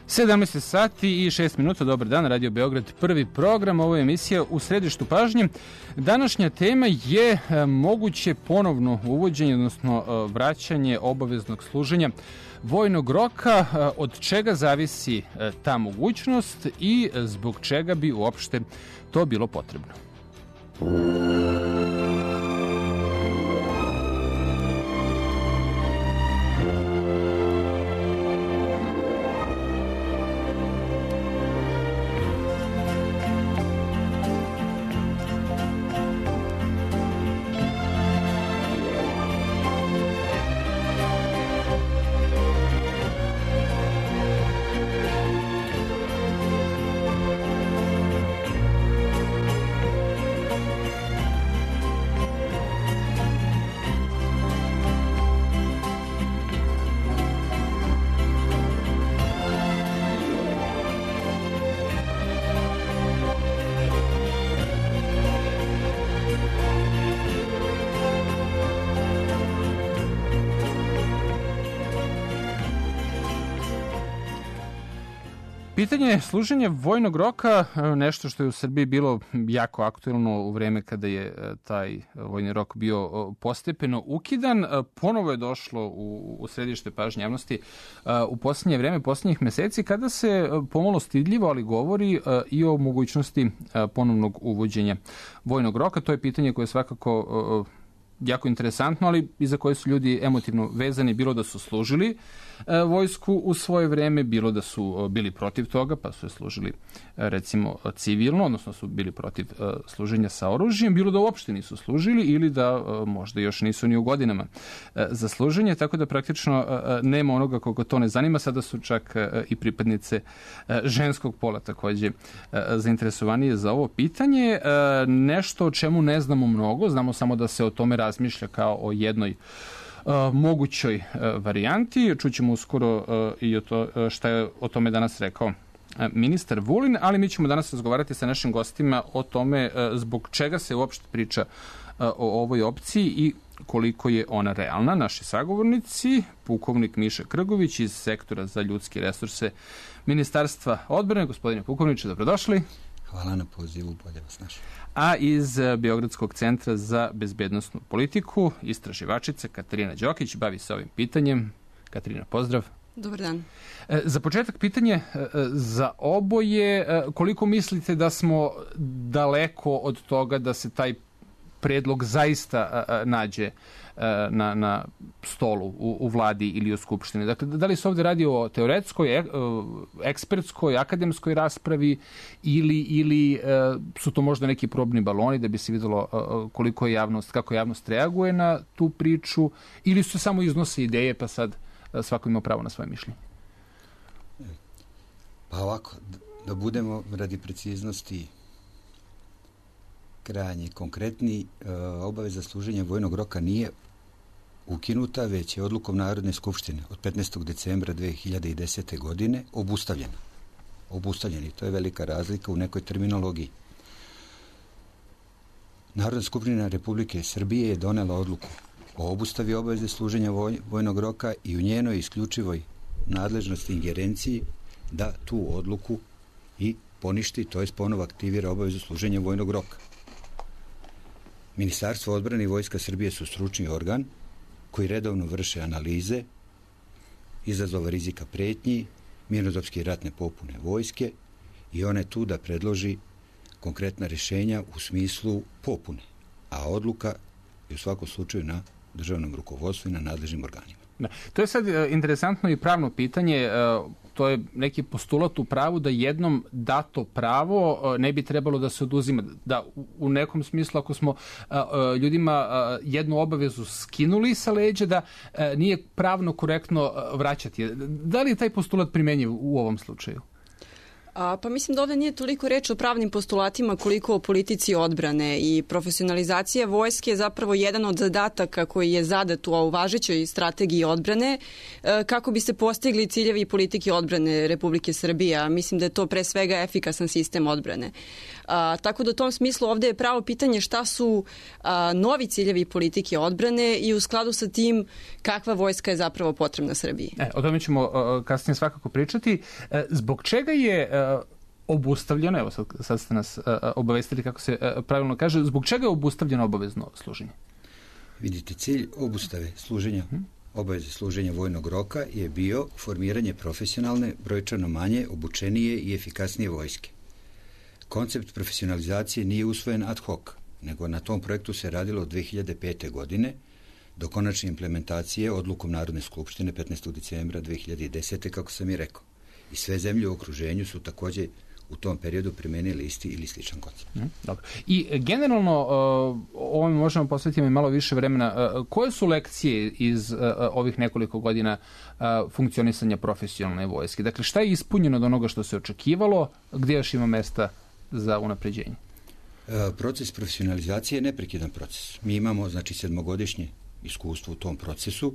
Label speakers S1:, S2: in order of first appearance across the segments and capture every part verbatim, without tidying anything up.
S1: sedamnaest sati i šest minuta, dobar dan, Radio Beograd, prvi program, ovo je emisija U središtu pažnje. Današnja tema je moguće ponovno uvođenje, odnosno vraćanje obaveznog služenja vojnog roka, od čega zavisi ta mogućnost i zbog čega bi uopšte to bilo potrebno. Pitanje služenja vojnog roka, nešto što je u Srbiji bilo jako aktuelno u vreme kada je taj vojni rok bio postepeno ukidan, ponovo je došlo u, u središte pažnje javnosti u posljednje vreme, posljednjih meseci, kada se pomalo stidljivo, ali govori i o mogućnosti ponovnog uvođenja vojnog roka. To je pitanje koje je svakako jako interesantno, ali i za koje su ljudi emotivno vezani, bilo da su služili e, vojsku u svoje vreme, bilo da su e, bili protiv toga, pa su je služili e, recimo civilno, odnosno su bili protiv e, služenja sa oružjem, bilo da uopšte nisu služili ili da e, možda još nisu ni u godinama e, za služenje, tako da praktično e, nema onoga koga to ne zanima. Sada su čak e, i pripadnice e, ženskog pola takođe e, zainteresovanije za ovo pitanje. E, nešto o čemu ne znamo mnogo, znamo samo da se o tome razmišlja kao o jednoj uh, mogućoj uh, varijanti. Čućemo uskoro uh, i o to, uh, šta je o tome danas rekao uh, ministar Vulin, ali mi ćemo danas razgovarati sa našim gostima o tome uh, zbog čega se uopšte priča uh, o ovoj opciji i koliko je ona realna. Naši sagovornici, pukovnik Miša Krgović iz Sektora za ljudske resurse Ministarstva odbrane. Gospodine pukovniče, dobrodošli.
S2: Hvala na pozivu, bolje vas našli.
S1: A iz Beogradskog centra za bezbednosnu politiku, istraživačica Katarina Đokić, bavi se ovim pitanjem. Katarina, pozdrav.
S3: Dobar dan.
S1: Za početak pitanje za oboje, koliko mislite da smo daleko od toga da se taj predlog zaista nađe na, na stolu u, u vladi ili u skupštini? Dakle, da li se ovde radi o teoretskoj, ekspertskoj, akademskoj raspravi ili, ili su to možda neki probni baloni da bi se videlo koliko je javnost, kako javnost reaguje na tu priču, ili su samo iznose ideje pa sad svako ima pravo na svoje mišljenje?
S2: Pa ovako, da budemo radi preciznosti krajnje konkretni, obaveza služenja vojnog roka nije ukinuta, već je odlukom Narodne skupštine od petnaestog decembra dve hiljade desete. godine obustavljena. Obustavljeni, to je velika razlika u nekoj terminologiji. Narodna skupština Republike Srbije je donela odluku o obustavi obaveze služenja voj, vojnog roka i u njenoj isključivoj nadležnosti ingerenciji da tu odluku i poništi, to jest ponovo aktivira obavezu služenja vojnog roka. Ministarstvo odbrane i Vojska Srbije su stručni organ koji redovno vrše analize izazova rizika pretnji, mirnodopske i ratne popune vojske i one tu da predloži konkretna rješenja u smislu popune, a odluka je u svakom slučaju na državnom rukovodstvu i na nadležnim organima.
S1: Da. To je sad interesantno i pravno pitanje. To je neki postulat u pravu da jednom dato pravo ne bi trebalo da se oduzima. Da u nekom smislu ako smo ljudima jednu obavezu skinuli sa leđa, da nije pravno korektno vraćati. Da li je taj postulat primenjiv u ovom slučaju?
S3: A, pa mislim da ovde nije toliko reč o pravnim postulatima koliko o politici odbrane i profesionalizacija vojske je zapravo jedan od zadataka koji je zadat u važećoj strategiji odbrane kako bi se postigli ciljevi politike odbrane Republike Srbije. A mislim da je to pre svega efikasan sistem odbrane. A, tako da u tom smislu ovde je pravo pitanje šta su a, novi ciljevi politike odbrane i u skladu sa tim kakva vojska je zapravo potrebna Srbiji.
S1: E, o tome ćemo uh, kasnije svakako pričati. E, zbog čega je uh, obustavljeno, evo sad, sad ste nas uh, obavestili kako se uh, pravilno kaže, zbog čega je obustavljeno obavezno služenje?
S2: Vidite, cilj obustave služenja, hmm. obaveze služenja vojnog roka je bio formiranje profesionalne, brojčano manje, obučenije i efikasnije vojske. Koncept profesionalizacije nije usvojen ad hoc, nego na tom projektu se radilo od dve hiljade pete. godine do konačne implementacije odlukom Narodne skupštine petnaestog decembra dve hiljade desete. kako sam i rekao. I sve zemlje u okruženju su takođe u tom periodu primenili isti ili sličan koncept.
S1: Mm, dobro. I generalno, uh, ovome možemo posvetiti mi malo više vremena. Uh, koje su lekcije iz uh, ovih nekoliko godina uh, funkcionisanja profesionalne vojske? Dakle, šta je ispunjeno od onoga što se očekivalo, gde još ima mesta za unapređenje?
S2: Uh, proces profesionalizacije je neprekidan proces. Mi imamo, znači, sedmogodišnje iskustvo u tom procesu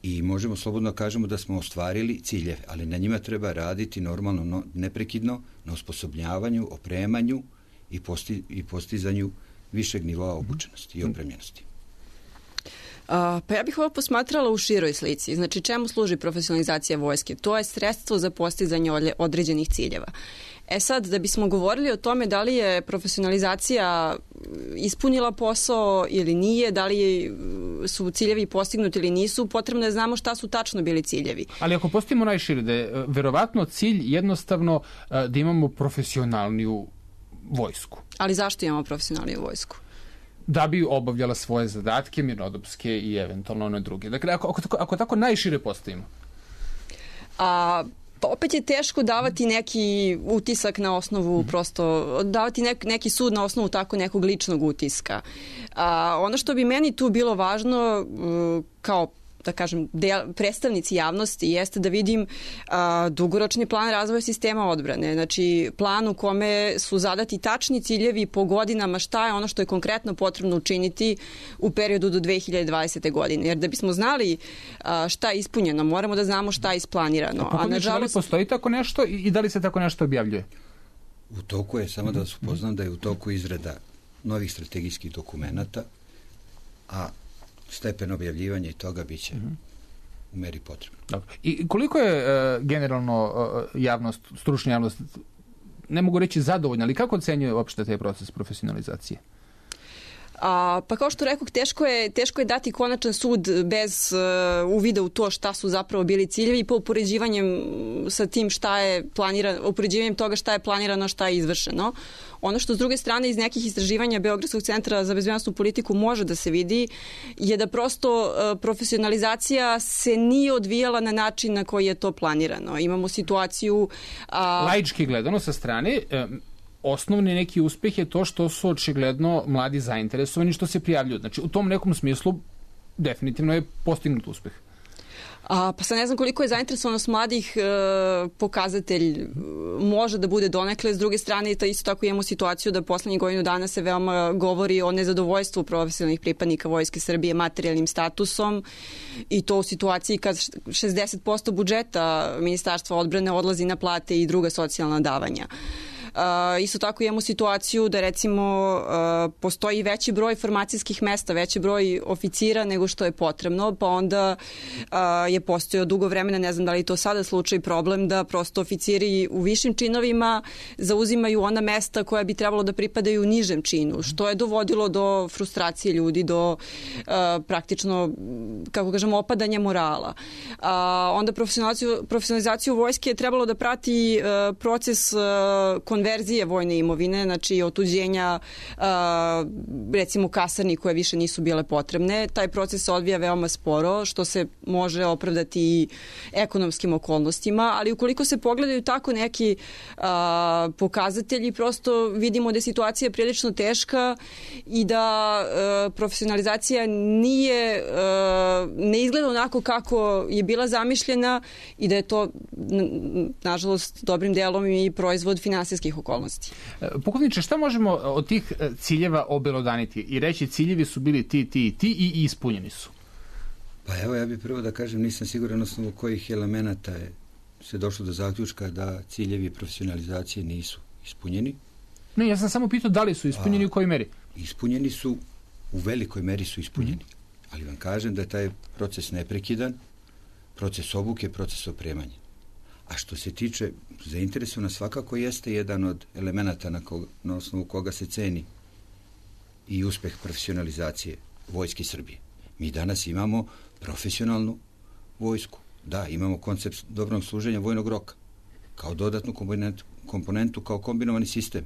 S2: i možemo slobodno kažemo da smo ostvarili ciljeve, ali na njima treba raditi normalno, no, neprekidno, na osposobljavanju, opremanju i, posti, i postizanju višeg nivoa obučenosti i opremljenosti.
S3: A, pa ja bih ovo posmatrala u široj slici. Znači, čemu služi profesionalizacija vojske? To je sredstvo za postizanje određenih ciljeva. E sad, da bismo govorili o tome da li je profesionalizacija ispunila posao ili nije, da li su ciljevi postignuti ili nisu, potrebno je znamo šta su tačno bili ciljevi.
S1: Ali ako postavimo najšire, da je verovatno cilj jednostavno da imamo profesionalniju vojsku.
S3: Ali zašto imamo profesionalniju vojsku?
S1: Da bi obavljala svoje zadatke, mirnodopske i eventualno one druge. Dakle, ako, ako, tako, ako tako najšire postavimo.
S3: A... Pa opet je teško davati neki utisak na osnovu, mm. prosto davati nek, neki sud na osnovu tako nekog ličnog utiska. A, ono što bi meni tu bilo važno kao da kažem, del, predstavnici javnosti jeste da vidim a, dugoročni plan razvoja sistema odbrane. Znači, plan u kome su zadati tačni ciljevi po godinama šta je ono što je konkretno potrebno učiniti u periodu do dve hiljade dvadesete. godine. Jer da bismo znali a, šta je ispunjeno, moramo da znamo šta je isplanirano.
S1: A, a nažalost, da li postoji tako nešto i da li se tako nešto objavljuje?
S2: U toku je, samo da vas upoznam, da je u toku izrada novih strategijskih dokumenata, a stepen objavljivanja i toga biće mm-hmm. u meri potrebno.
S1: Dobro. I koliko je uh, generalno uh, javnost, stručna javnost, ne mogu reći zadovoljna, ali kako ocenjuje uopšte taj proces profesionalizacije?
S3: A, pa kao što rekao, teško je, teško je dati konačan sud bez uh, uvida u to šta su zapravo bili ciljevi i po upoređivanjem sa tim šta je planirano, upoređivanjem toga šta je planirano, šta je izvršeno. Ono što s druge strane iz nekih istraživanja Beogradskog centra za bezbednosnu politiku može da se vidi je da prosto uh, profesionalizacija se nije odvijala na način na koji je to planirano. Imamo situaciju... Uh,
S1: Laički gledano sa strane... Um... Osnovni neki uspeh je to što su očigledno mladi zainteresovani što se prijavljuju. Znači, u tom nekom smislu definitivno je postignut uspeh.
S3: A, pa sad ne znam koliko je zainteresovanost mladih e, pokazatelj može da bude donekle. S druge strane, to isto tako imamo situaciju da poslednjih godinu dana se veoma govori o nezadovoljstvu profesionalnih pripadnika Vojske Srbije materijalnim statusom i to u situaciji kad šezdeset posto budžeta Ministarstva odbrane odlazi na plate i druga socijalna davanja. Uh, isto tako imamo situaciju da recimo uh, postoji veći broj formacijskih mesta, veći broj oficira nego što je potrebno, pa onda uh, je postojao dugo vremena, ne znam da li to sada slučaj problem, da prosto oficiri u višim činovima zauzimaju ona mesta koja bi trebalo da pripadaju nižem činu, što je dovodilo do frustracije ljudi, do uh, praktično, kako kažemo, opadanja morala. Uh, onda profesionalizaciju, profesionalizaciju vojske je trebalo da prati uh, proces uh, konverzije konverzije vojne imovine, znači otuđenja recimo kasarni koje više nisu bile potrebne. Taj proces se odvija veoma sporo, što se može opravdati i ekonomskim okolnostima, ali ukoliko se pogledaju tako neki a, pokazatelji, prosto vidimo da je situacija prilično teška i da a, profesionalizacija nije, a, ne izgleda onako kako je bila zamišljena i da je to, nažalost, dobrim delom i proizvod finansijskih okolnosti.
S1: Pukovniče, šta možemo od tih ciljeva obelodaniti i reći ciljevi su bili ti, ti i ti i ispunjeni su?
S2: Pa evo, ja bih prvo da kažem, nisam siguran osnovu kojih elemenata je se došlo do zaključka da ciljevi profesionalizacije nisu ispunjeni.
S1: Ne, ja sam samo pitao da li su ispunjeni i u kojoj meri.
S2: Ispunjeni su, u velikoj meri su ispunjeni. Mm-hmm. Ali vam kažem da je taj proces neprekidan, proces obuke, proces opremanja. A što se tiče zainteresovana, svakako jeste jedan od elemenata na, koga, na osnovu koga se ceni i uspeh profesionalizacije Vojske Srbije. Mi danas imamo profesionalnu vojsku. Da, imamo koncept dobrog služenja vojnog roka kao dodatnu komponentu, komponentu kao kombinovani sistem.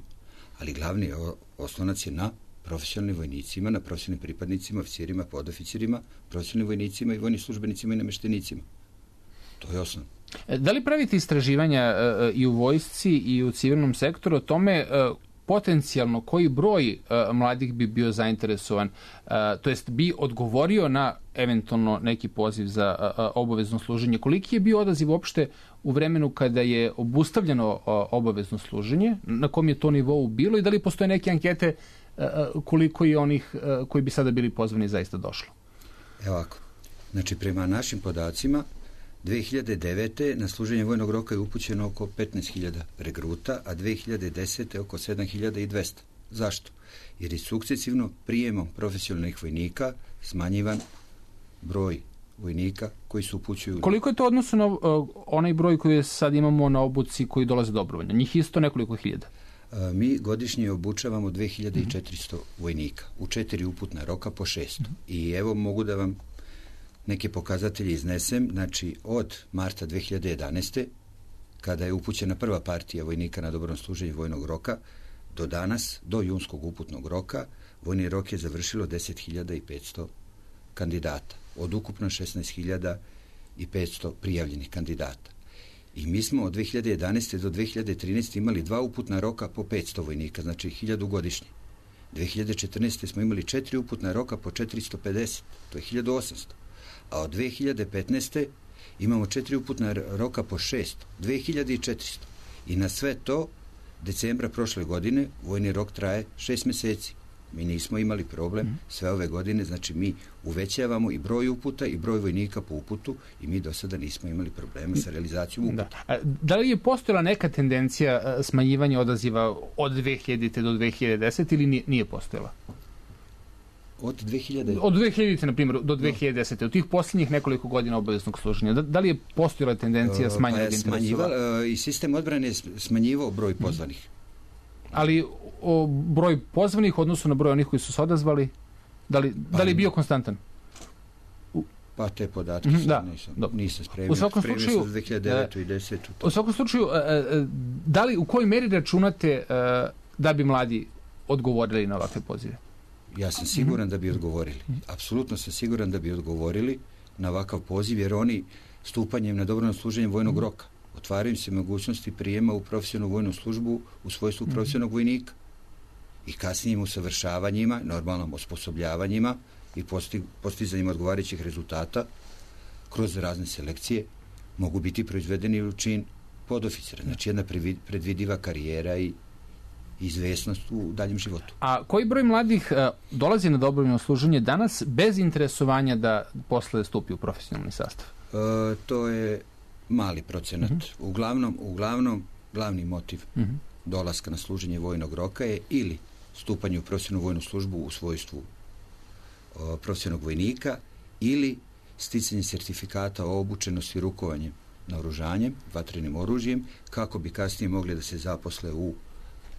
S2: Ali glavni oslonac je na profesionalnim vojnicima, na profesionalnim pripadnicima, oficirima, podoficirima, profesionalnim vojnicima i vojnim službenicima i nameštenicima. To je osnov.
S1: Da li pravite istraživanja uh, i u vojsci i u civilnom sektoru o tome uh, potencijalno koji broj uh, mladih bi bio zainteresovan, uh, to jest bi odgovorio na eventualno neki poziv za uh, obavezno služenje? Koliki je bio odaziv uopšte u vremenu kada je obustavljeno uh, obavezno služenje? Na kom je to nivou bilo i da li postoje neke ankete uh, koliko je onih uh, koji bi sada bili pozvani zaista došlo?
S2: Evo ovako. Znači, prema našim podacima, dve hiljade devete. na služenje vojnog roka je upućeno oko petnaest hiljada regruta, a dve hiljade desete. oko sedam hiljada dvesta. Zašto? Jer je sukcesivno prijemom profesionalnih vojnika smanjivan broj vojnika koji se upućuju.
S1: Koliko je to odnosu na uh, onaj broj koji sad imamo na obuci koji dolaze dobrovoljno? Njih isto nekoliko hiljada?
S2: Uh, mi godišnje obučavamo dve hiljade četiristo mm-hmm. vojnika u četiri uputna roka po šest. Mm-hmm. I evo mogu da vam neke pokazatelje iznesem. Znači, od marta dve hiljade jedanaeste. kada je upućena prva partija vojnika na dobrovoljno služenje vojnog roka, do danas, do junskog uputnog roka, vojni rok je završilo deset hiljada petsto kandidata. Od ukupno šesnaest hiljada petsto prijavljenih kandidata. I mi smo od dve hiljade jedanaeste. do dve hiljade trinaeste. imali dva uputna roka po petsto vojnika, znači hiljadu godišnje. dve hiljade četrnaeste. smo imali četiri uputna roka po četiristo pedeset, to je hiljadu osamsto. A od dve hiljade petnaeste. imamo četiri uputna roka po šesto, dve hiljade četiristo. I na sve to, decembra prošle godine, vojni rok traje šest meseci. Mi nismo imali problem sve ove godine, znači mi uvećavamo i broj uputa i broj vojnika po uputu i mi do sada nismo imali problema sa realizacijom uputa.
S1: Da. Da li je postojala neka tendencija smanjivanja odaziva od dve hiljadite. do dve hiljade desete. ili nije, nije postojala?
S2: Od dve hiljade...
S1: Od dve hiljadite. na primjer, do dve hiljade desete. Od tih posljednjih nekoliko godina obaveznog služenja. Da, da li je postojala tendencija smanjivanja
S2: pa interesova? I sistem odbrane je smanjivao broj pozvanih.
S1: Ali o broj pozvanih u odnosu na broj onih koji su se odazvali, da li, pa, da li je bio konstantan?
S2: U... Pa te podatke
S1: mm-hmm, da,
S2: nisam, nisam spremio.
S1: U svakom slučaju,
S2: dve hiljade devete. i desetu.
S1: U svakom slučaju, da li, u kojoj meri računate da bi mladi odgovorili na ovakve pozive?
S2: Ja sam siguran mm-hmm. da bi odgovorili. Apsolutno sam siguran da bi odgovorili na ovakav poziv, jer oni stupanjem na dobrovoljno služenje vojnog mm-hmm. roka otvaraju se mogućnosti prijema u profesionalnu vojnu službu u svojstvu mm-hmm. profesionalnog vojnika. I kasnijim usavršavanjima, normalnom osposobljavanjima i posti, postizanjem odgovarajućih rezultata kroz razne selekcije mogu biti proizvedeni u čin podoficira. Znači jedna predvidiva karijera i izvesnost u daljem životu.
S1: A koji broj mladih uh, dolazi na dobrovoljno služenje danas bez interesovanja da posle stupi u profesionalni sastav?
S2: Uh, to je mali procenat. Mm-hmm. Uglavnom, uglavnom, glavni motiv mm-hmm. dolaska na služenje vojnog roka je ili stupanje u profesionalnu vojnu službu u svojstvu o, profesionalnog vojnika ili sticanje sertifikata o obučenosti rukovanjem naoružanjem, vatrenim oružjem, kako bi kasnije mogli da se zaposle u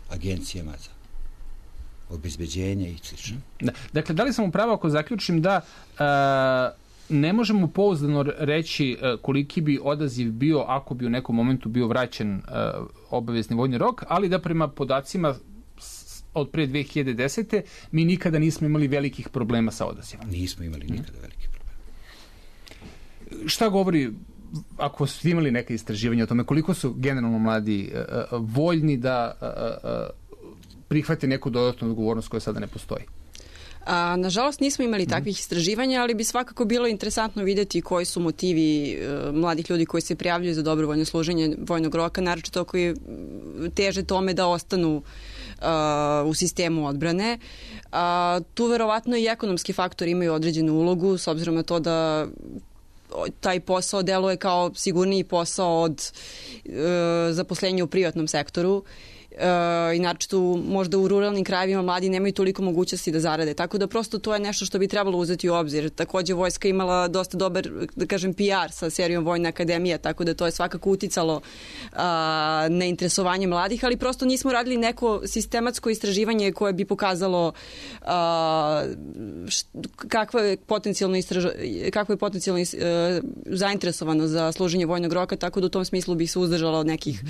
S2: agencijama za obezbeđenje i slično.
S1: Da. Dakle, da li sam upravo ako zaključim da a, ne možemo pouzdano reći koliki bi odaziv bio ako bi u nekom momentu bio vraćen obavezni vojni rok, ali da prema podacima od pre dve hiljade desete mi nikada nismo imali velikih problema sa odazivom.
S2: Nismo imali nikada velikih problema.
S1: Šta govori, ako ste imali neke istraživanja o tome, koliko su generalno mladi voljni da prihvate neku dodatnu odgovornost koja sada ne postoji?
S3: A, nažalost nismo imali takvih istraživanja, ali bi svakako bilo interesantno vidjeti koji su motivi e, mladih ljudi koji se prijavljuju za dobrovoljno služenje vojnog roka, naročito koji teže tome da ostanu a, u sistemu odbrane. A, tu verovatno i ekonomski faktori imaju određenu ulogu, s obzirom na to da taj posao deluje kao sigurniji posao od e, zaposlenja u privatnom sektoru. i naročito možda u ruralnim krajevima mladi nemaju toliko mogućnosti da zarade. Tako da prosto to je nešto što bi trebalo uzeti u obzir. Takođe vojska imala dosta dobar, da kažem, P R sa serijom Vojna akademija, tako da to je svakako uticalo a, na interesovanje mladih, ali prosto nismo radili neko sistematsko istraživanje koje bi pokazalo a, št, kakva je potencijalno, istraž, kakva je potencijalno is, a, zainteresovano za služenje vojnog roka, tako da u tom smislu bih se uzdržala od nekih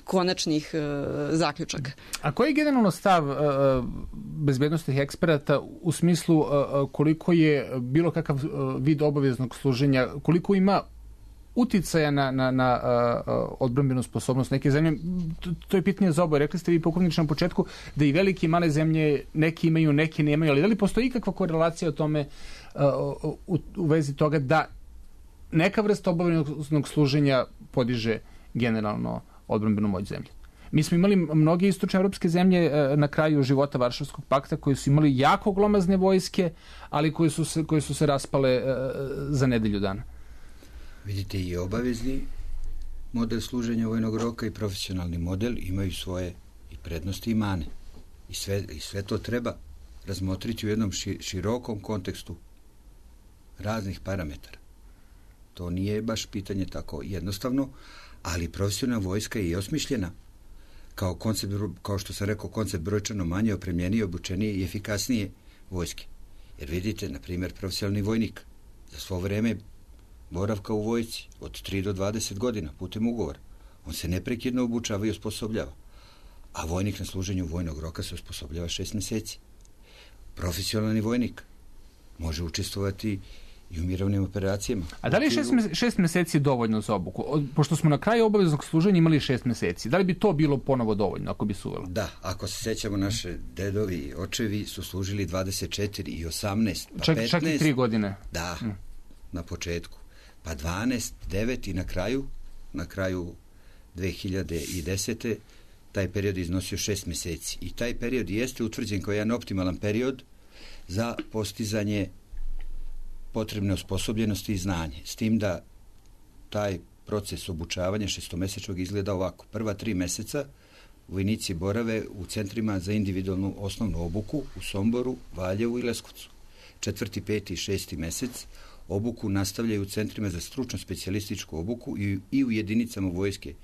S3: konačnih a, zaključaka.
S1: A koji je generalno stav uh, bezbednostnih eksperata u smislu uh, koliko je bilo kakav uh, vid obaveznog služenja, koliko ima uticaja na, na, na uh, odbrambenu sposobnost neke zemlje? To, to je pitanje za oboje. Rekli ste vi pukovniče na početku da i velike i male zemlje neki imaju, neki nemaju, ali da li postoji ikakva korelacija o tome uh, u, u vezi toga da neka vrsta obaveznog služenja podiže generalno odbrambenu moć zemlje? Mi smo imali mnoge istočne evropske zemlje na kraju života Varšavskog pakta koji su imali jako glomazne vojske, ali koje su se, koje su se raspale za nedelju dana.
S2: Vidite, i obavezni model služenja vojnog roka i profesionalni model imaju svoje i prednosti i mane. I sve, i sve to treba razmotriti u jednom širokom kontekstu raznih parametara. To nije baš pitanje tako jednostavno, ali profesionalna vojska je i osmišljena kao koncept, kao što sam rekao, koncept brojčano manje opremljenije, obučenije i efikasnije vojske. Jer vidite, na primjer, profesionalni vojnik za svo vreme boravka u vojsci od tri do dvadeset godina putem ugovora, on se neprekidno obučava i osposobljava. A vojnik na služenju vojnog roka se osposobljava šest meseci. Profesionalni vojnik može učestvovati i u mirovnim operacijama.
S1: A da li je šest, šest meseci dovoljno za obuku? Pošto smo na kraju obaveznog služenja imali šest meseci. Da li bi to bilo ponovo dovoljno ako bi se uvelo?
S2: Da, ako se sećamo, naše dedovi i očevi su služili dvadeset četiri i osamnaest, pa
S1: čak,
S2: petnaest.
S1: Čak i tri godine.
S2: Da, mm. na početku. Pa dvanaest, devet i na kraju, na kraju dve hiljade desete. taj period iznosio šest meseci. I taj period jeste utvrđen kao jedan optimalan period za postizanje potrebne osposobljenosti i znanje. S tim da taj proces obučavanja šestomesečnog izgleda ovako. Prva tri meseca vojnici borave u centrima za individualnu osnovnu obuku u Somboru, Valjevu i Leskovcu. Četvrti, peti i šesti mesec obuku nastavljaju u centrima za stručno specijalističku obuku i, i u jedinicama Vojske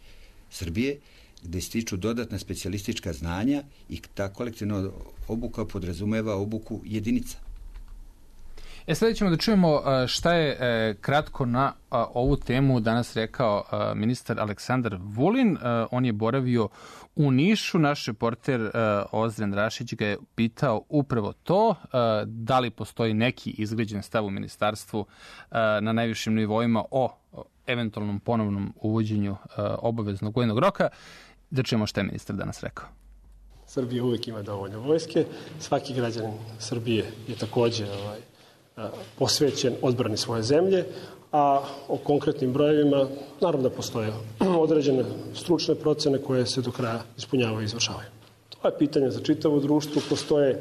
S2: Srbije, gde stiču dodatna specijalistička znanja i ta kolektivna obuka podrazumeva obuku jedinica.
S1: E, sada ćemo da čujemo šta je kratko na ovu temu danas rekao ministar Aleksandar Vulin. On je boravio u Nišu. Naš reporter Ozren Rašić ga je pitao upravo to, da li postoji neki izgrađen stav u ministarstvu na najvišim nivoima o eventualnom ponovnom uvođenju obaveznog vojnog roka. Da čujemo šta je ministar danas rekao.
S4: Srbija uvek ima dovoljno vojske. Svaki građanin Srbije je takođe ovaj, posvećen odbrani svoje zemlje, a o konkretnim brojevima naravno da postoje određene stručne procene koje se do kraja ispunjavaju i izvršavaju. To je pitanje za čitavo društvo, postoje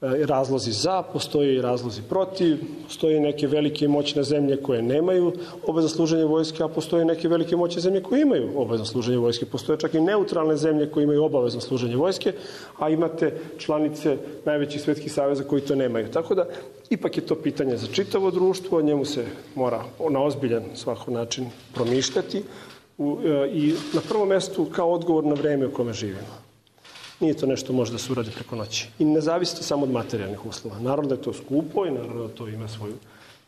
S4: razlozi za, postoje i razlozi protiv, postoje neke velike i moćne zemlje koje nemaju obavezno služenje vojske, a postoje neke velike i moćne zemlje koje imaju obavezno služenje vojske. Postoje čak i neutralne zemlje koje imaju obavezno služenje vojske, a imate članice najvećih svetskih saveza koji to nemaju. Tako da, ipak je to pitanje za čitavo društvo, njemu se mora na ozbiljan svako način promišljati i na prvom mestu kao odgovor na vreme u kome živimo. Nije to nešto može da se uradi preko noći. I ne zavisi samo od materijalnih uslova. Naravno da je to skupo i naravno da to ima svoju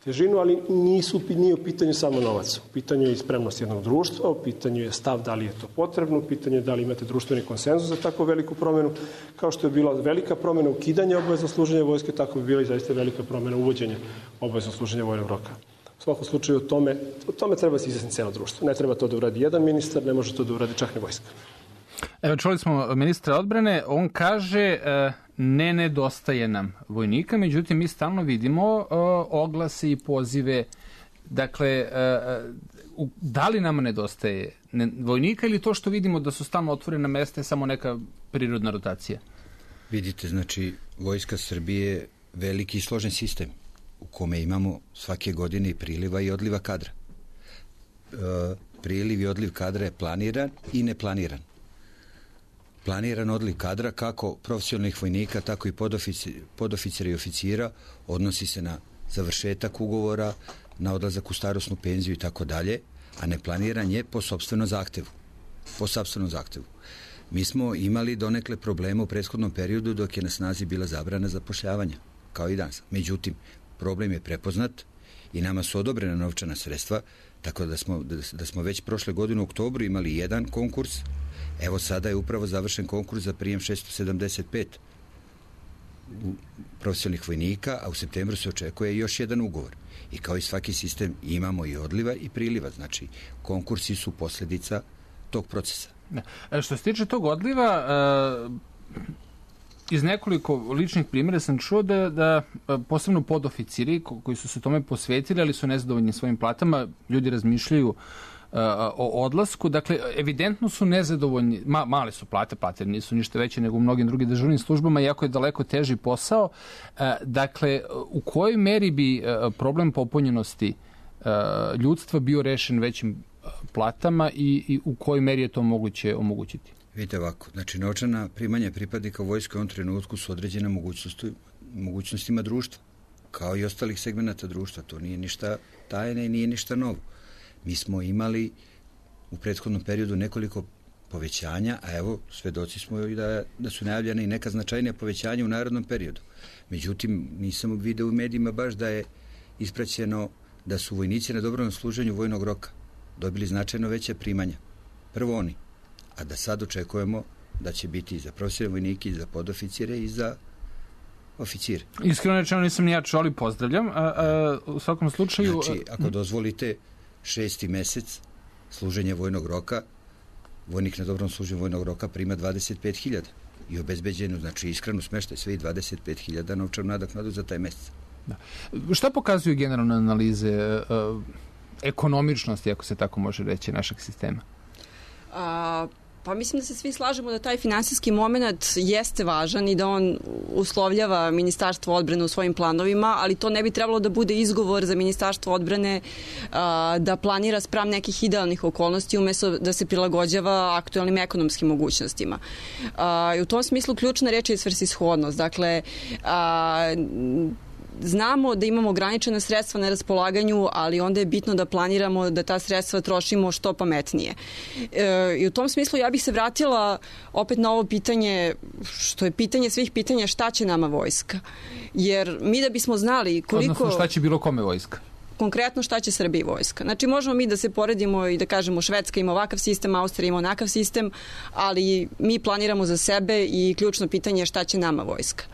S4: težinu, ali nisu, nije u pitanju samo novac. U pitanju je i spremnost jednog društva, u pitanju je stav da li je to potrebno, u pitanju je da li imate društveni konsenzus za tako veliku promenu. Kao što je bila velika promena ukidanja obaveznog služenja vojske, tako bi bila i zaista velika promena uvođenja obaveznog služenja vojnog roka. U svakom slučaju o tome, o tome treba se izjasniti celo društvo. Ne treba to da uradi jedan ministar, ne može to da uradi čak ni vojska.
S1: Evo, čuli smo ministra odbrane, on kaže ne nedostaje nam vojnika, međutim mi stalno vidimo oglase i pozive, dakle, da li nam nedostaje vojnika ili to što vidimo da su stalno otvorena mesta je samo neka prirodna rotacija?
S2: Vidite, znači, Vojska Srbije je veliki i složen sistem u kome imamo svake godine i priliva i odliva kadra. Priliv i odliv kadra je planiran i neplaniran. Planiran odliv kadra kako profesionalnih vojnika, tako i podoficira i oficira odnosi se na završetak ugovora, na odlazak u starosnu penziju i tako dalje, a neplaniran je po sopstvenom zahtevu. Po sopstvenom zahtevu. Mi smo imali donekle problema u prethodnom periodu dok je na snazi bila zabrana zapošljavanja, kao i danas. Međutim, problem je prepoznat i nama su odobrena novčana sredstva, tako da smo, da smo već prošle godine u oktobru imali jedan konkurs. Evo sada je upravo završen konkurs za prijem šesto sedamdeset pet profesionalnih vojnika, a u septembru se očekuje još jedan ugovor. I kao i svaki sistem imamo i odliva i priliva. Znači, konkursi su posljedica tog procesa.
S1: Da. Što se tiče tog odliva, iz nekoliko ličnih primjera sam čuo da, da posebno podoficiri koji su se tome posvetili, ali su nezadovoljni svojim platama, ljudi razmišljaju o odlasku. Dakle, evidentno su nezadovoljni, ma, male su plate, plate nisu ništa veće nego u mnogim drugim državnim službama, iako je daleko teži posao. Dakle, u kojoj meri bi problem popunjenosti ljudstva bio rešen većim platama i, i u kojoj meri je to moguće omogućiti?
S2: Vidite ovako, znači novčana primanja pripadnika vojske u ovom trenutku su određene mogućnosti, mogućnostima društva, kao i ostalih segmenata društva. To nije ništa tajne i nije ništa novo. Mi smo imali u prethodnom periodu nekoliko povećanja, a evo, svedoci smo i da, da su najavljene i neka značajnija povećanja u narednom periodu. Međutim, nisam vidio u medijima baš da je ispraćeno da su vojnici na dobrovoljnom služenju vojnog roka dobili značajno veće primanja. Prvo oni, a da sad očekujemo da će biti i za profesionalne vojnike, i za podoficire, i za oficire.
S1: Iskreno rečeno nisam ni ja čuo, ali pozdravljam. A, a, u svakom slučaju...
S2: Znači, ako dozvolite, šesti mesec služenja vojnog roka, vojnik na dobrom služenju vojnog roka prima dvadeset pet hiljada i obezbeđenu, znači iskrenu smeštaj sve i dvadeset pet hiljada novčanu nadoknadu za taj mesec.
S1: Da. Šta pokazuju generalne analize uh, ekonomičnosti, ako se tako može reći, našeg sistema?
S3: A... Pa mislim da se svi slažemo da taj finansijski moment jeste važan i da on uslovljava Ministarstvo odbrane u svojim planovima, ali to ne bi trebalo da bude izgovor za Ministarstvo odbrane a, da planira spram nekih idealnih okolnosti umesto da se prilagođava aktualnim ekonomskim mogućnostima. A, i u tom smislu ključna reč je svrsishodnost. Dakle, a, znamo da imamo ograničena sredstva na raspolaganju, ali onda je bitno da planiramo da ta sredstva trošimo što pametnije. E, i u tom smislu ja bih se vratila opet na ovo pitanje, što je pitanje svih pitanja, šta će nama vojska? Jer mi da bismo znali koliko...
S1: Odnosno šta će bilo kome vojska?
S3: Konkretno šta će Srbiji vojska. Znači možemo mi da se poredimo i da kažemo Švedska ima ovakav sistem, Austrija ima onakav sistem, ali mi planiramo za sebe i ključno pitanje je šta će nama vojska.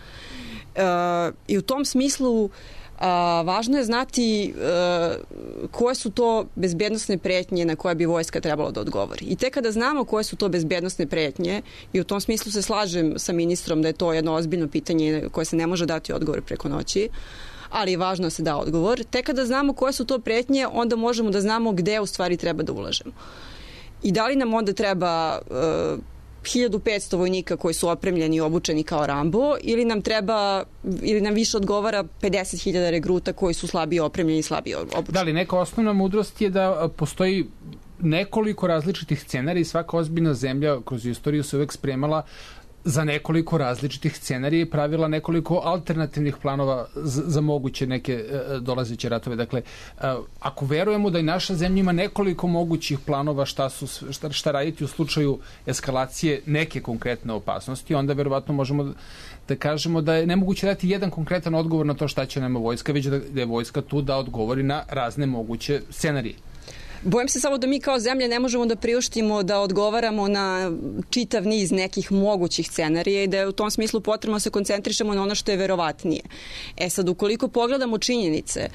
S3: Uh, i u tom smislu uh, važno je znati uh, koje su to bezbednosne pretnje na koje bi vojska trebalo da odgovori. I tek kada znamo koje su to bezbednosne pretnje, i u tom smislu se slažem sa ministrom da je to jedno ozbiljno pitanje koje se ne može dati odgovor preko noći, ali je važno da se da odgovor. Tek kada znamo koje su to pretnje, onda možemo da znamo gde u stvari treba da ulažemo. I da li nam onda treba... Uh, hiljadu petsto vojnika koji su opremljeni i obučeni kao Rambo ili nam treba, ili nam više odgovara pedeset hiljada regruta koji su slabije opremljeni i slabije obučeni.
S1: Da li neka osnovna mudrost je da postoji nekoliko različitih scenarija i svaka ozbiljna zemlja kroz istoriju se uvek spremala za nekoliko različitih scenarija i pravila nekoliko alternativnih planova za, za moguće neke uh, dolazeće ratove. Dakle, uh, ako verujemo da i naša zemlja ima nekoliko mogućih planova šta, su, šta, šta raditi u slučaju eskalacije neke konkretne opasnosti, onda verovatno možemo da kažemo da je nemoguće dati jedan konkretan odgovor na to šta će nama vojska, već da je vojska tu da odgovori na razne moguće scenarije.
S3: Bojim se samo da mi kao zemlja ne možemo da priuštimo da odgovaramo na čitav niz nekih mogućih scenarija i da je u tom smislu potrebno da se koncentrišemo na ono što je verovatnije. E sad, ukoliko pogledamo činjenice,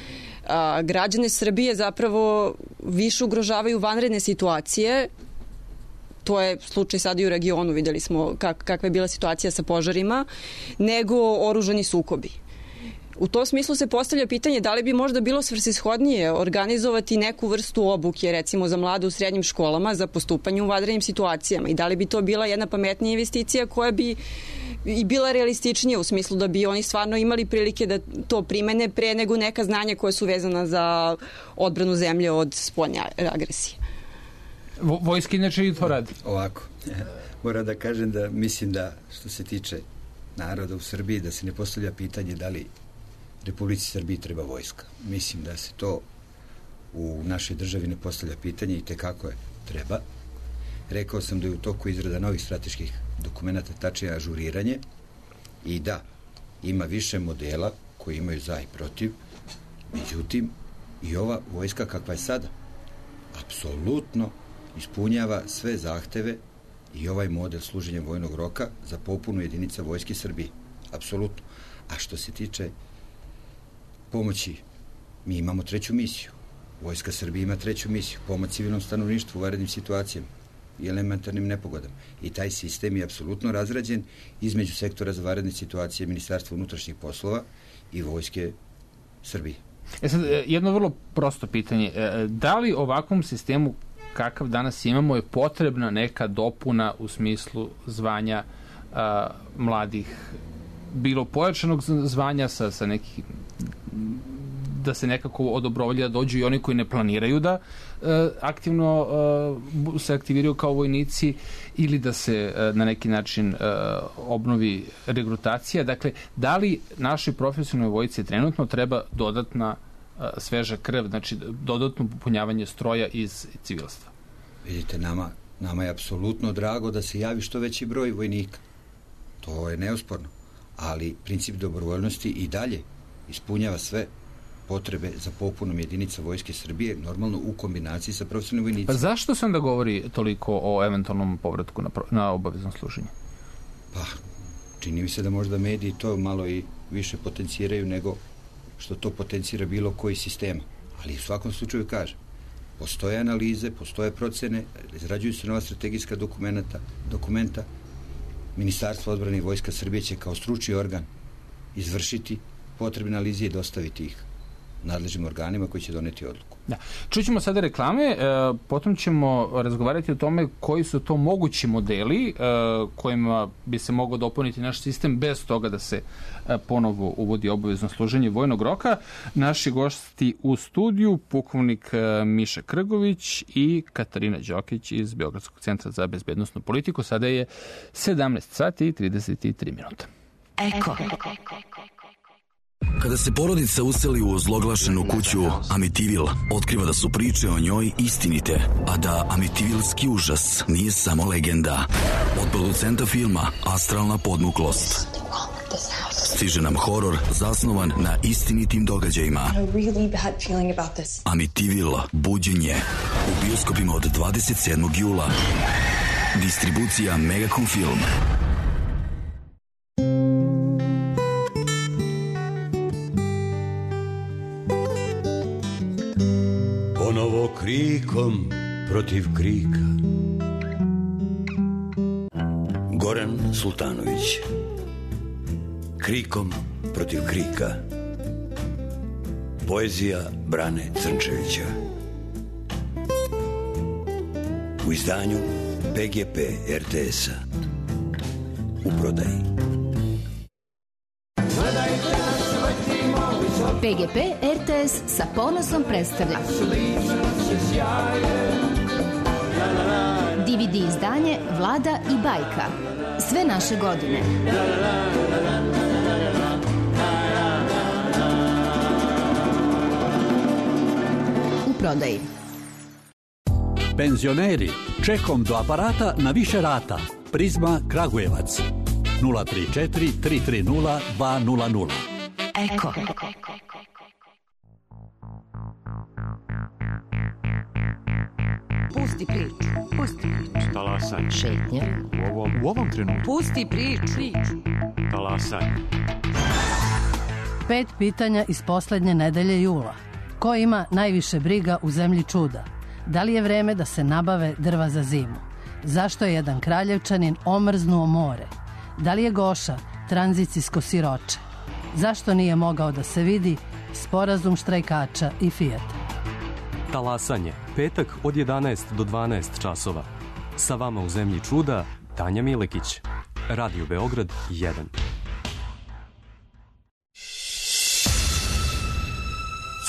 S3: a, građane Srbije zapravo više ugrožavaju vanredne situacije. To je slučaj sad i u regionu, videli smo kak, kakva je bila situacija sa požarima, nego oružani sukobi. U tom smislu se postavlja pitanje da li bi možda bilo svrsishodnije organizovati neku vrstu obuke, recimo za mlade u srednjim školama, za postupanje u vanrednim situacijama i da li bi to bila jedna pametnija investicija koja bi i bila realističnija u smislu da bi oni stvarno imali prilike da to primene pre nego neka znanja koja su vezana za odbranu zemlje od spoljne agresije.
S1: Vojski inače i to radi.
S2: Ovako, moram da kažem da mislim da što se tiče naroda u Srbiji, da se ne postavlja pitanje da li Republici Srbiji treba vojska. Mislim da se to u našoj državi ne postavlja pitanje i tekako je treba. Rekao sam da je u toku izrada novih strateških dokumenta, tačnije ažuriranje i da, ima više modela koji imaju za i protiv, međutim i ova vojska kakva je sada apsolutno ispunjava sve zahteve i ovaj model služenja vojnog roka za popunu jedinica Vojske Srbije. Apsolutno. A što se tiče pomoći, mi imamo treću misiju. Vojska Srbije ima treću misiju. Pomoć civilnom stanovništvu u vanrednim situacijama i elementarnim nepogodama. I taj sistem je apsolutno razrađen između sektora za vanredne situacije Ministarstva unutrašnjih poslova i Vojske Srbije.
S1: E sad, jedno vrlo prosto pitanje. Da li ovakvom sistemu kakav danas imamo je potrebna neka dopuna u smislu zvanja a, mladih, bilo pojačanog zvanja sa, sa nekih, da se nekako odobrovolje da dođu i oni koji ne planiraju da a, aktivno a, se aktiviraju kao vojnici ili da se a, na neki način a, obnovi regrutacija. Dakle, da li našoj profesionalnoj vojsci trenutno treba dodatna a, sveža krv, znači dodatno popunjavanje stroja iz civilstva?
S2: Vidite, nama, nama je apsolutno drago da se javi što veći broj vojnika. To je neosporno. Ali princip dobrovoljnosti i dalje ispunjava sve potrebe za popunom jedinica Vojske Srbije, normalno u kombinaciji sa profesionalnim vojnicima.
S1: Pa zašto se onda govori toliko o eventualnom povratku na, na obavezno služenje?
S2: Pa, čini mi se da možda mediji to malo i više potenciraju nego što to potencira bilo koji sistema. Ali u svakom slučaju kažem, postoje analize, postoje procene, izrađuju se nova strategijska dokumenta, dokumenta. Ministarstvo odbrane i Vojska Srbije će kao stručni organ izvršiti potrebne analize i dostaviti ih nadležnim organima koji će doneti odluku.
S1: Da. Čućemo sada reklame, e, potom ćemo razgovarati o tome koji su to mogući modeli e, kojima bi se mogao dopuniti naš sistem bez toga da se e, ponovo uvodi obavezno služenje vojnog roka. Naši gosti u studiju, pukovnik e, Miša Krgović i Katarina Đokić iz Beogradskog centra za bezbednosnu politiku. Sada je sedamnaest sati i trideset tri minuta.
S5: Eko. Kada se porodica useli u ozloglašenu kuću Amitivil, otkriva da su priče o njoj istinite, a da Amitivilski užas nije samo legenda. Od producenta filma Astralna podmuklost stiže nam horor zasnovan na istinitim događajima. Amitivil, buđenje, u bioskopima od dvadeset sedmog jula. Distribucija Megacom Film.
S6: Ponovo krikom protiv krika. Goran Sultanović. Krikom protiv krika. Poezija Brane Crnčevića. U izdanju P G P R T S-a. U prodaji.
S7: P G P R T S sa ponosom predstavlja D V D izdanje Vlada i bajka. Sve naše godine. U prodaji.
S8: Penzioneri, čekom do aparata na više rata. Prizma Kragujevac. nula tri četiri tri tri nula dva nula nula.
S7: Eko.
S9: Pusti priču. Pusti priču.
S10: Talasaj.
S9: Šetnje.
S10: U ovom, u ovom trenutku.
S9: Pusti priču.
S10: Talasaj.
S11: Pet pitanja iz poslednje nedelje jula. Ko ima najviše briga u zemlji čuda? Da li je vreme da se nabave drva za zimu? Zašto je jedan Kraljevčanin omrznuo more? Da li je Goša tranzicijsko siroče? Zašto nije mogao da se vidi sporazum štrajkača i Fijata?
S12: Talasanje, petak od jedanaest do dvanaest časova. Sa vama u zemlji čuda, Tanja Milekić. Radio Beograd jedan.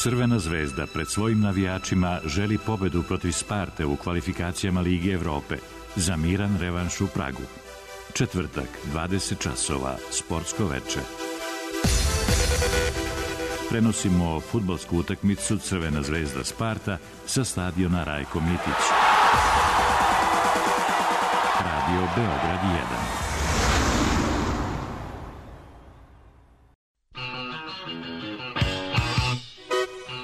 S13: Crvena zvezda pred svojim navijačima želi pobedu protiv Sparte u kvalifikacijama Lige Evrope za miran revanš u Pragu. Četvrtak, dvadeset časova, sportsko veče. Prenosimo fudbalsku utakmicu Crvena zvezda Sparta sa stadiona Rajko Mitić. Radio Beograd jedan.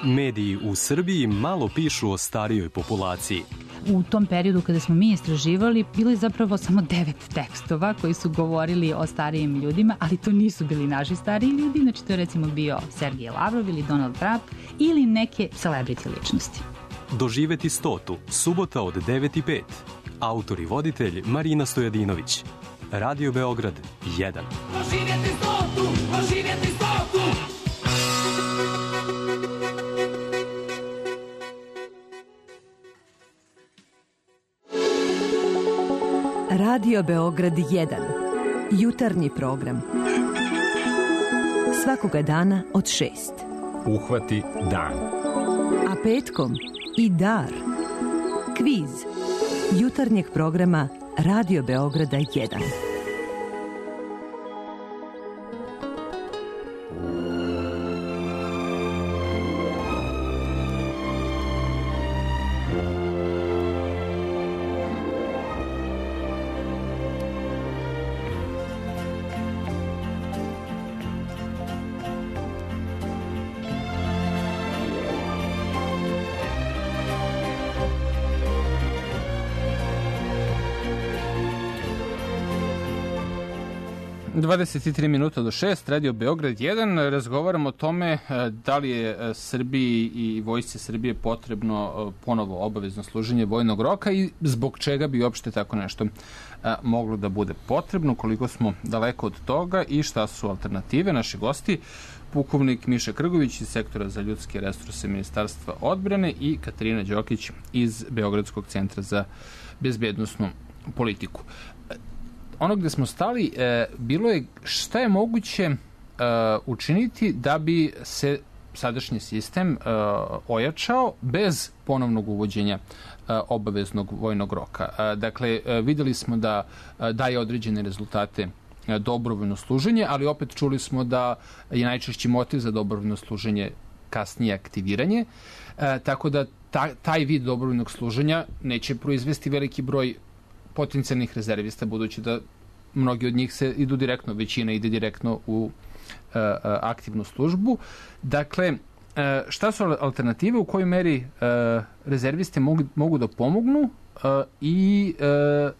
S12: Mediji u Srbiji malo pišu o starijoj populaciji.
S14: U tom periodu kada smo mi istraživali, bilo je zapravo samo devet tekstova koji su govorili o starijim ljudima, ali to nisu bili naši stariji ljudi, znači to je recimo bio Sergej Lavrov ili Donald Trump ili neke celebrity ličnosti.
S12: Doživeti stotu, subota od devet i pet. Autor i voditelj Marina Stojadinović. Radio Beograd jedan.
S15: Doživjeti stotu, doživjeti stotu!
S16: Radio Beograd jedan. Jutarnji program. Svakoga dana od šest.
S17: Uhvati dan.
S16: A petkom i dar. Kviz. Jutarnjeg programa Radio Beograda jedan.
S1: dvadeset tri minuta do šest, Radio Beograd jedan. Razgovaramo o tome da li je Srbiji i vojsci Srbije potrebno ponovo obavezno služenje vojnog roka i zbog čega bi uopšte tako nešto moglo da bude potrebno, koliko smo daleko od toga i šta su alternative. Naši gosti, pukovnik Miša Krgović iz Sektora za ljudske resurse Ministarstva odbrane i Katarina Đokić iz Beogradskog centra za bezbednosnu politiku. Ono gde smo stali, e, bilo je šta je moguće e, učiniti da bi se sadašnji sistem e, ojačao bez ponovnog uvođenja e, obaveznog vojnog roka. E, dakle, e, videli smo da e, daje određene rezultate e, dobrovoljno služenje, ali opet čuli smo da je najčešći motiv za dobrovoljno služenje kasnije aktiviranje, e, tako da ta, taj vid dobrovoljnog služenja neće proizvesti veliki broj potencijalnih rezervista, budući da mnogi od njih se idu direktno, većina ide direktno u uh, aktivnu službu. Dakle, uh, šta su alternative, u kojoj meri uh, rezervisti mogu, mogu da pomognu uh, i uh,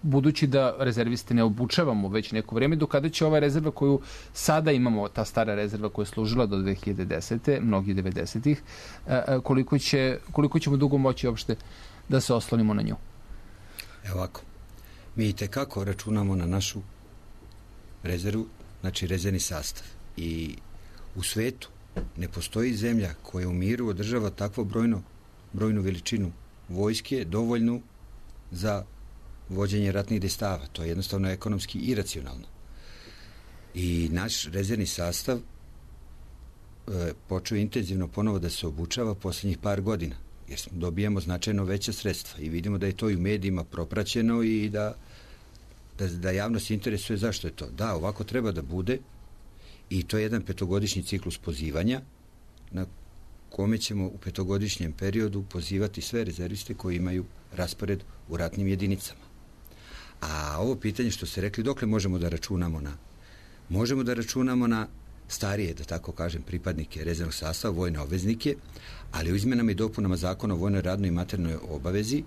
S1: budući da rezerviste ne obučavamo već neko vreme, do kada će ova rezerva koju sada imamo, ta stara rezerva koja je služila do dve hiljade desete, mnogi devedesetih, uh, koliko, će, koliko ćemo dugo moći uopšte da se oslonimo na nju?
S2: Evo ovako, mi itekako računamo na našu rezervu, znači rezervni sastav. I u svetu ne postoji zemlja koja u miru održava takvo brojno, brojnu veličinu vojske, dovoljnu za vođenje ratnih dejstava. To je jednostavno ekonomski iracionalno. I naš rezervni sastav e, počeo intenzivno ponovo da se obučava poslednjih par godina, jer dobijamo značajno veća sredstva i vidimo da je to i u medijima propraćeno i da da, da javnost interesuje zašto je to. Da, ovako treba da bude i to je jedan petogodišnji ciklus pozivanja na kome ćemo u petogodišnjem periodu pozivati sve rezerviste koji imaju raspored u ratnim jedinicama. A ovo pitanje što ste rekli, dokle možemo da računamo na? Možemo da računamo na starije, da tako kažem, pripadnike rezervnog sastava, vojne obveznike, ali u izmenama i dopunama zakona o vojnoj radnoj i maternoj obavezi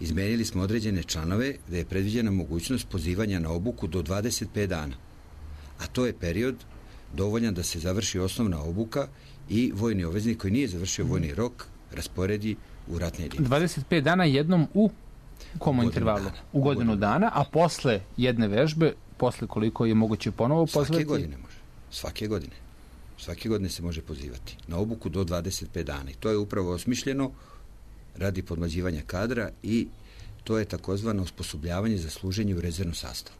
S2: izmenili smo određene članove gde je predviđena mogućnost pozivanja na obuku do dvadeset pet dana. A to je period dovoljan da se završi osnovna obuka i vojni obveznik koji nije završio vojni rok rasporedi u ratne jedinice.
S1: dvadeset pet dana jednom u komu intervalu?
S2: Dana.
S1: U godinu dana, a posle jedne vežbe, posle koliko je moguće ponovo pozvati?
S2: Svake godine može. Svake godine. Svake godine se može pozivati na obuku do dvadeset pet dana. I to je upravo osmišljeno radi podmlađivanja kadra i to je takozvano osposobljavanje za služenje u rezervnom sastavu.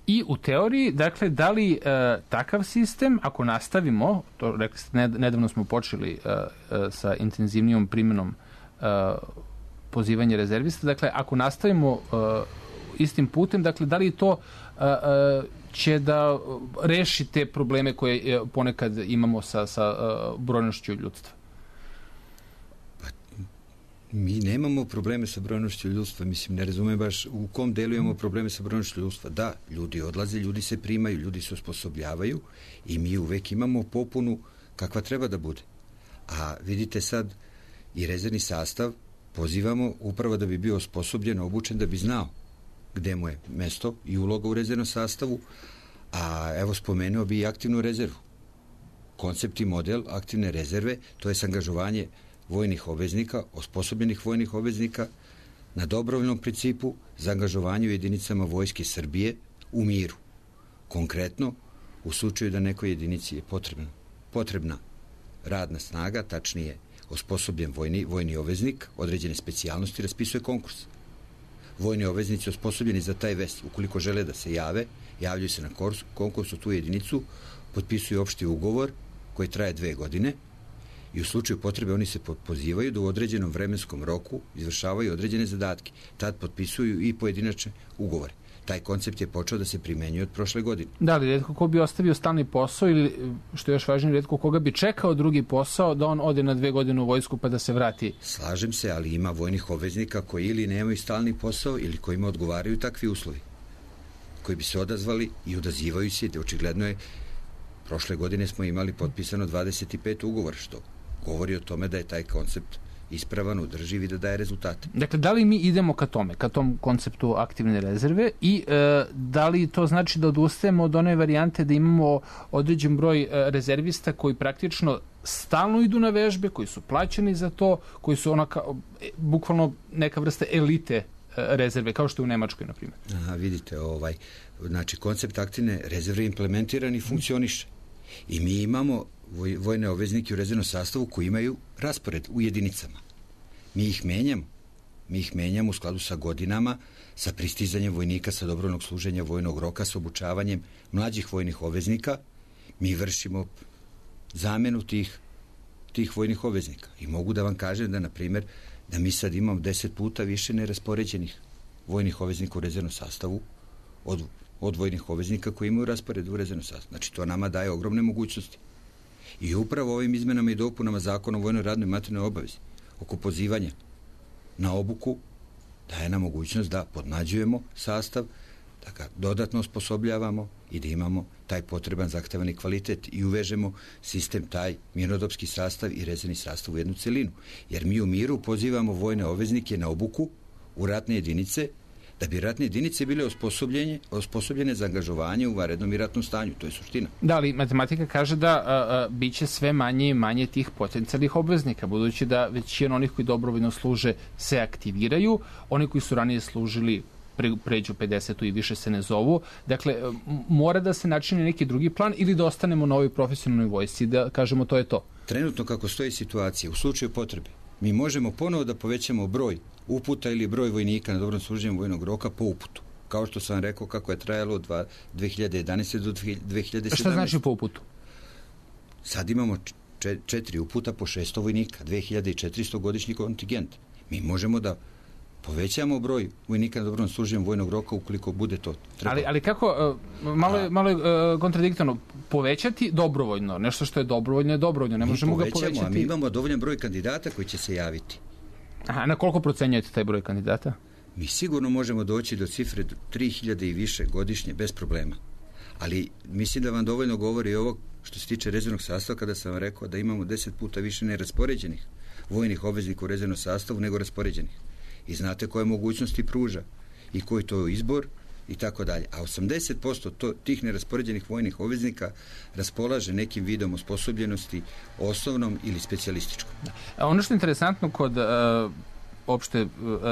S1: I u teoriji, dakle, da li e, takav sistem, ako nastavimo, to rekli ste, nedavno smo počeli e, e, sa intenzivnijom primjenom e, pozivanja rezervista, dakle, ako nastavimo e, istim putem, dakle, da li to e, e, će da reši te probleme koje e, ponekad imamo sa, sa e, brojnošću ljudstva?
S2: Mi nemamo probleme sa brojnošću ljudstva, mislim, ne razumem baš u kom delu imamo probleme sa brojnošću ljudstva. Da, ljudi odlaze, ljudi se primaju, ljudi se osposobljavaju i mi uvek imamo popunu kakva treba da bude. A vidite sad, i rezervni sastav pozivamo upravo da bi bio osposobljen, obučen, da bi znao gde mu je mesto i uloga u rezervnom sastavu, a evo spomenuo bi i aktivnu rezervu. Koncept i model aktivne rezerve, to je angažovanje vojnih obveznika, osposobljenih vojnih obveznika na dobrovoljnom principu za angažovanje u jedinicama Vojske Srbije u miru. Konkretno, u slučaju da nekoj jedinici je potrebna, potrebna radna snaga, tačnije osposobljen vojni, vojni obveznik, određene specijalnosti, raspisuje konkurs. Vojni obveznici osposobljeni za taj vest, ukoliko žele da se jave, javljaju se na konkursu tu jedinicu, potpisuju opšti ugovor koji traje dve godine i u slučaju potrebe oni se pozivaju da u određenom vremenskom roku izvršavaju određene zadatke. Tad potpisuju i pojedinačne ugovore. Taj koncept je počeo da se primenjuje od prošle godine.
S1: Da, ali retko ko bi ostavio stalni posao ili, što je još važnije, retko koga bi čekao drugi posao da on ode na dve godine u vojsku pa da se vrati.
S2: Slažem se, ali ima vojnih obveznika koji ili nemaju stalni posao ili kojima odgovaraju takvi uslovi, koji bi se odazvali i odazivaju se. Očigledno je, prošle godine smo imali potpisano dvadeset pet ugovora, što govori o tome da je taj koncept ispravan, održiv i da daje rezultate.
S1: Dakle, da li mi idemo ka tome, ka tom konceptu aktivne rezerve i e, da li to znači da odustajemo od one varijante da imamo određen broj e, rezervista koji praktično stalno idu na vežbe, koji su plaćeni za to, koji su onaka, e, bukvalno neka vrsta elite e, rezerve, kao što je u Nemačkoj, na primjer?
S2: Aha, vidite, ovaj, znači, koncept aktivne rezerve je implementiran i funkcioniše. I mi imamo vojne obveznike u rezervnom sastavu koji imaju raspored u jedinicama. Mi ih menjamo. Mi ih menjamo u skladu sa godinama, sa pristizanjem vojnika sa dobrovoljnog služenja vojnog roka, sa obučavanjem mlađih vojnih obveznika. Mi vršimo zamenu tih, tih vojnih obveznika. I mogu da vam kažem da, na primjer, da mi sad imamo deset puta više neraspoređenih vojnih obveznika u rezervnom sastavu od, od vojnih obveznika koji imaju raspored u rezervnom sastavu. Znači, to nama daje ogromne mogućnosti. I upravo ovim izmenama i dopunama zakona o vojnoj radnoj i maternoj obavezi oko pozivanja na obuku daje nam mogućnost da podmlađujemo sastav, da ga dodatno osposobljavamo i da imamo taj potreban zahtevani kvalitet i uvežemo sistem taj mirnodopski sastav i rezervni sastav u jednu celinu. Jer mi u miru pozivamo vojne obveznike na obuku u ratne jedinice da bi ratne jedinice bile osposobljene, osposobljene za angažovanje u vanrednom i ratnom stanju. To je suština.
S1: Da, ali matematika kaže da a, a, biće sve manje i manje tih potencijalnih obveznika, budući da većina onih koji dobrovoljno služe se aktiviraju, oni koji su ranije služili pre, pređu pedesetu i više se ne zovu. Dakle, mora da se načini neki drugi plan ili da ostanemo na ovoj profesionalnoj vojsci, da kažemo to je to.
S2: Trenutno kako stoji situacija, u slučaju potrebe, mi možemo ponovo da povećamo broj uputa ili broj vojnika na dobrom služenju vojnog roka po uputu. Kao što sam rekao kako je trajalo od dve hiljade jedanaeste do dve hiljade sedamnaeste.
S1: Šta znači po uputu?
S2: Sad imamo četiri uputa po šesto vojnika, dve hiljade četiristo godišnji kontingent. Mi možemo da povećamo broj vojnika na dobrovoljnom služenju vojnog roka ukoliko bude to trebalo.
S1: Ali, ali kako, malo je, malo je uh, kontradiktorno, povećati dobrovoljno, nešto što je dobrovoljno je dobrovoljno, ne mi možemo ga povećati.
S2: A mi imamo dovoljan broj kandidata koji će se javiti.
S1: Aha, na koliko procenjujete taj broj kandidata?
S2: Mi sigurno možemo doći do cifre tri hiljade i više godišnje, bez problema. Ali mislim da vam dovoljno govori ovo što se tiče rezervnog sastava, kada sam vam rekao da imamo deset puta više neraspoređenih vojnih obveznika u rezervnom sastavu nego raspoređenih. I znate koje mogućnosti pruža i koji to je izbor i tako dalje. A osamdeset posto to, tih neraspoređenih vojnih obveznika raspolaže nekim vidom osposobljenosti osnovnom ili specijalističkom.
S1: A ono što je interesantno kod uh, opšte uh,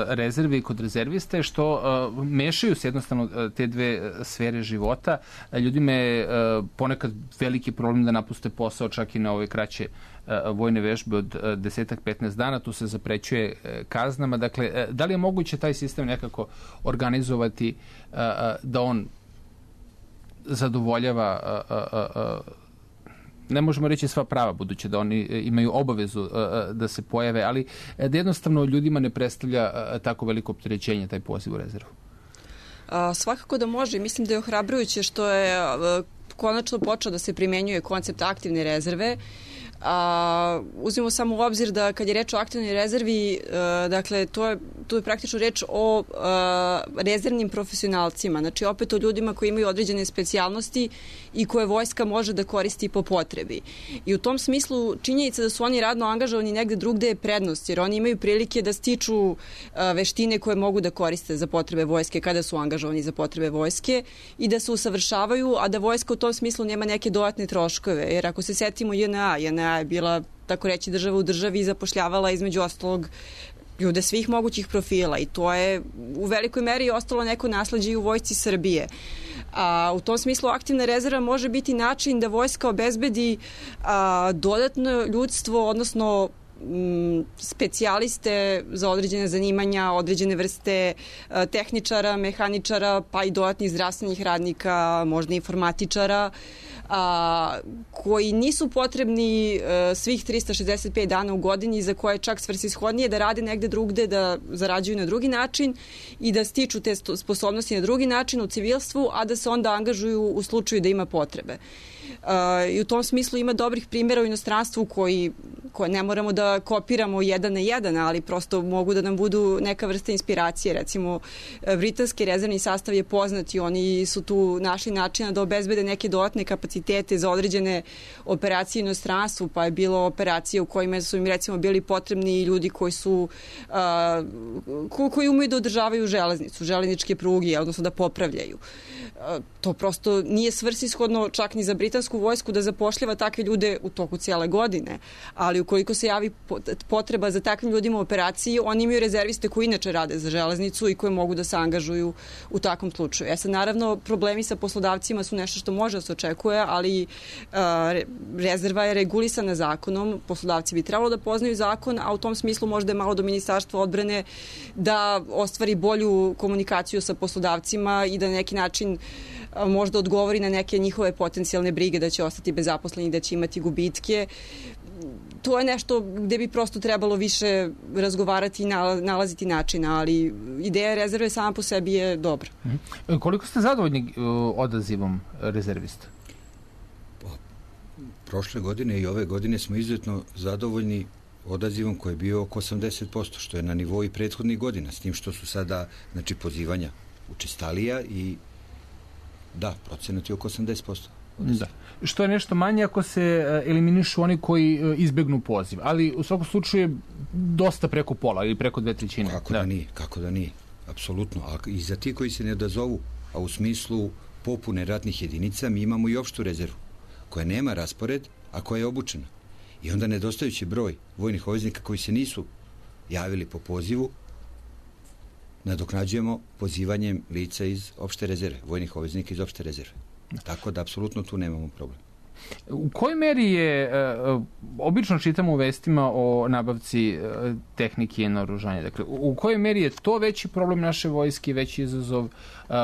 S1: rezerve i kod rezerviste je što uh, mešaju se jednostavno uh, te dve sfere života. Uh, ljudima je uh, ponekad veliki problem da napuste posao čak i na ove kraće vojne vežbe od desetak petnaest dana, tu se zaprećuje kaznama. Dakle, da li je moguće taj sistem nekako organizovati da on zadovoljava, ne možemo reći sva prava, budući da oni imaju obavezu da se pojave, ali da jednostavno ljudima ne predstavlja tako veliko opterećenje taj poziv u rezervu?
S3: A, svakako da može. Mislim da je ohrabrujuće što je a, konačno počeo da se primenjuje koncept aktivne rezerve. A, uzmimo samo u obzir da kad je reč o aktivnoj rezervi, a, dakle, to je, to je praktično reč o a, rezervnim profesionalcima, znači opet o ljudima koji imaju određene specijalnosti i koje vojska može da koristi po potrebi. I u tom smislu činjenica da su oni radno angažovani negde drugde je prednost, jer oni imaju prilike da stiču a, veštine koje mogu da koriste za potrebe vojske kada su angažovani za potrebe vojske i da se usavršavaju, a da vojska u tom smislu nema neke dodatne troškove, jer ako se setimo J N A, J N A je bila, tako reći, država u državi i zapošljavala između ostalog ljude svih mogućih profila i to je u velikoj meri ostalo neko nasleđe i u vojsci Srbije. A, u tom smislu aktivna rezerva može biti način da vojska obezbedi a, dodatno ljudstvo, odnosno m, specijaliste za određene zanimanja, određene vrste a, tehničara, mehaničara, pa i dodatnih zdravstvenih radnika, možda informatičara, a, koji nisu potrebni a, svih trista šezdeset pet dana u godini, za koje je čak svrsishodnije da rade negde drugde, da zarađuju na drugi način i da stiču te sposobnosti na drugi način u civilstvu, a da se onda angažuju u slučaju da ima potrebe. Uh, i u tom smislu ima dobrih primjera u inostranstvu koji, koje ne moramo da kopiramo jedan na jedan, ali prosto mogu da nam budu neka vrsta inspiracije. Recimo, britanski rezervni sastav je poznat i oni su tu našli načina da obezbede neke dodatne kapacitete za određene operacije u inostranstvu, pa je bilo operacije u kojima su im recimo bili potrebni ljudi koji su uh, ko, koji umeju da održavaju železnicu, železničke pruge, odnosno da popravljaju. To prosto nije svrsishodno čak ni za britansku vojsku da zapošljava takve ljude u toku cijele godine, ali ukoliko se javi potreba za takvim ljudima u operaciji, oni imaju rezerviste koji inače rade za železnicu i koji mogu da se angažuju u takvom slučaju. E sad, naravno, problemi sa poslodavcima su nešto što može da se očekuje, ali a, rezerva je regulisana zakonom, poslodavci bi trebalo da poznaju zakon, a u tom smislu možda je malo do Ministarstva odbrane da ostvari bolju komunikaciju sa poslodavcima i da na neki način možda odgovori na neke njihove potencijalne brige da će ostati bez zaposlenih, da će imati gubitke. To je nešto gde bi prosto trebalo više razgovarati i nalaziti načina, ali ideja rezerve sama po sebi je dobra.
S1: Mm-hmm. Koliko ste zadovoljni odazivom rezervista?
S2: Prošle godine i ove godine smo izuzetno zadovoljni odazivom koji je bio oko osamdeset posto, što je na nivou i prethodnih godina, s tim što su sada, znači, pozivanja učestalija i da, procenat je oko osamdeset posto.
S1: Da. Što je nešto manje ako se eliminišu oni koji izbegnu poziv, ali u svakom slučaju je dosta preko pola ili preko dve trećine.
S2: Kako da, da nije, kako da nije, apsolutno. A i za ti koji se ne odazovu, a u smislu popune ratnih jedinica, mi imamo i opštu rezervu, koja nema raspored, a koja je obučena. I onda nedostajući broj vojnih obveznika koji se nisu javili po pozivu, nadoknađujemo pozivanjem lica iz opšte rezerve, vojnih obveznika iz opšte rezerve. Tako da apsolutno tu nemamo problem.
S1: U kojoj meri je, uh, obično čitamo u vestima o nabavci uh, tehnike i naoružanja, dakle, u, u kojoj meri je to veći problem naše vojske, veći izazov uh,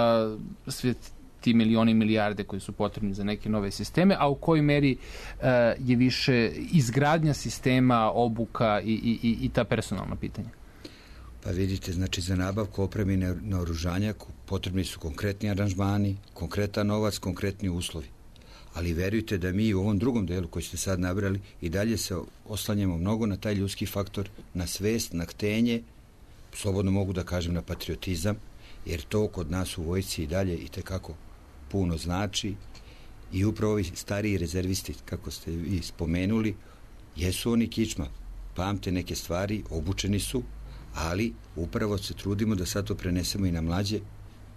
S1: sve ti milioni, milijarde koji su potrebni za neke nove sisteme, a u kojoj meri uh, je više izgradnja sistema, obuka i, i, i ta personalna pitanja?
S2: Pa vidite, znači za nabavku opreme i naoružanja potrebni su konkretni aranžmani, konkretan novac, konkretni uslovi. Ali verujte da mi u ovom drugom delu koji ste sad nabrali i dalje se oslanjamo mnogo na taj ljudski faktor, na svest, na htenje, slobodno mogu da kažem na patriotizam, jer to kod nas u vojsci i dalje i tekako puno znači. I upravo ovi stariji rezervisti, kako ste vi spomenuli, jesu oni kičma, pamte neke stvari, obučeni su, ali upravo se trudimo da sad to prenesemo i na mlađe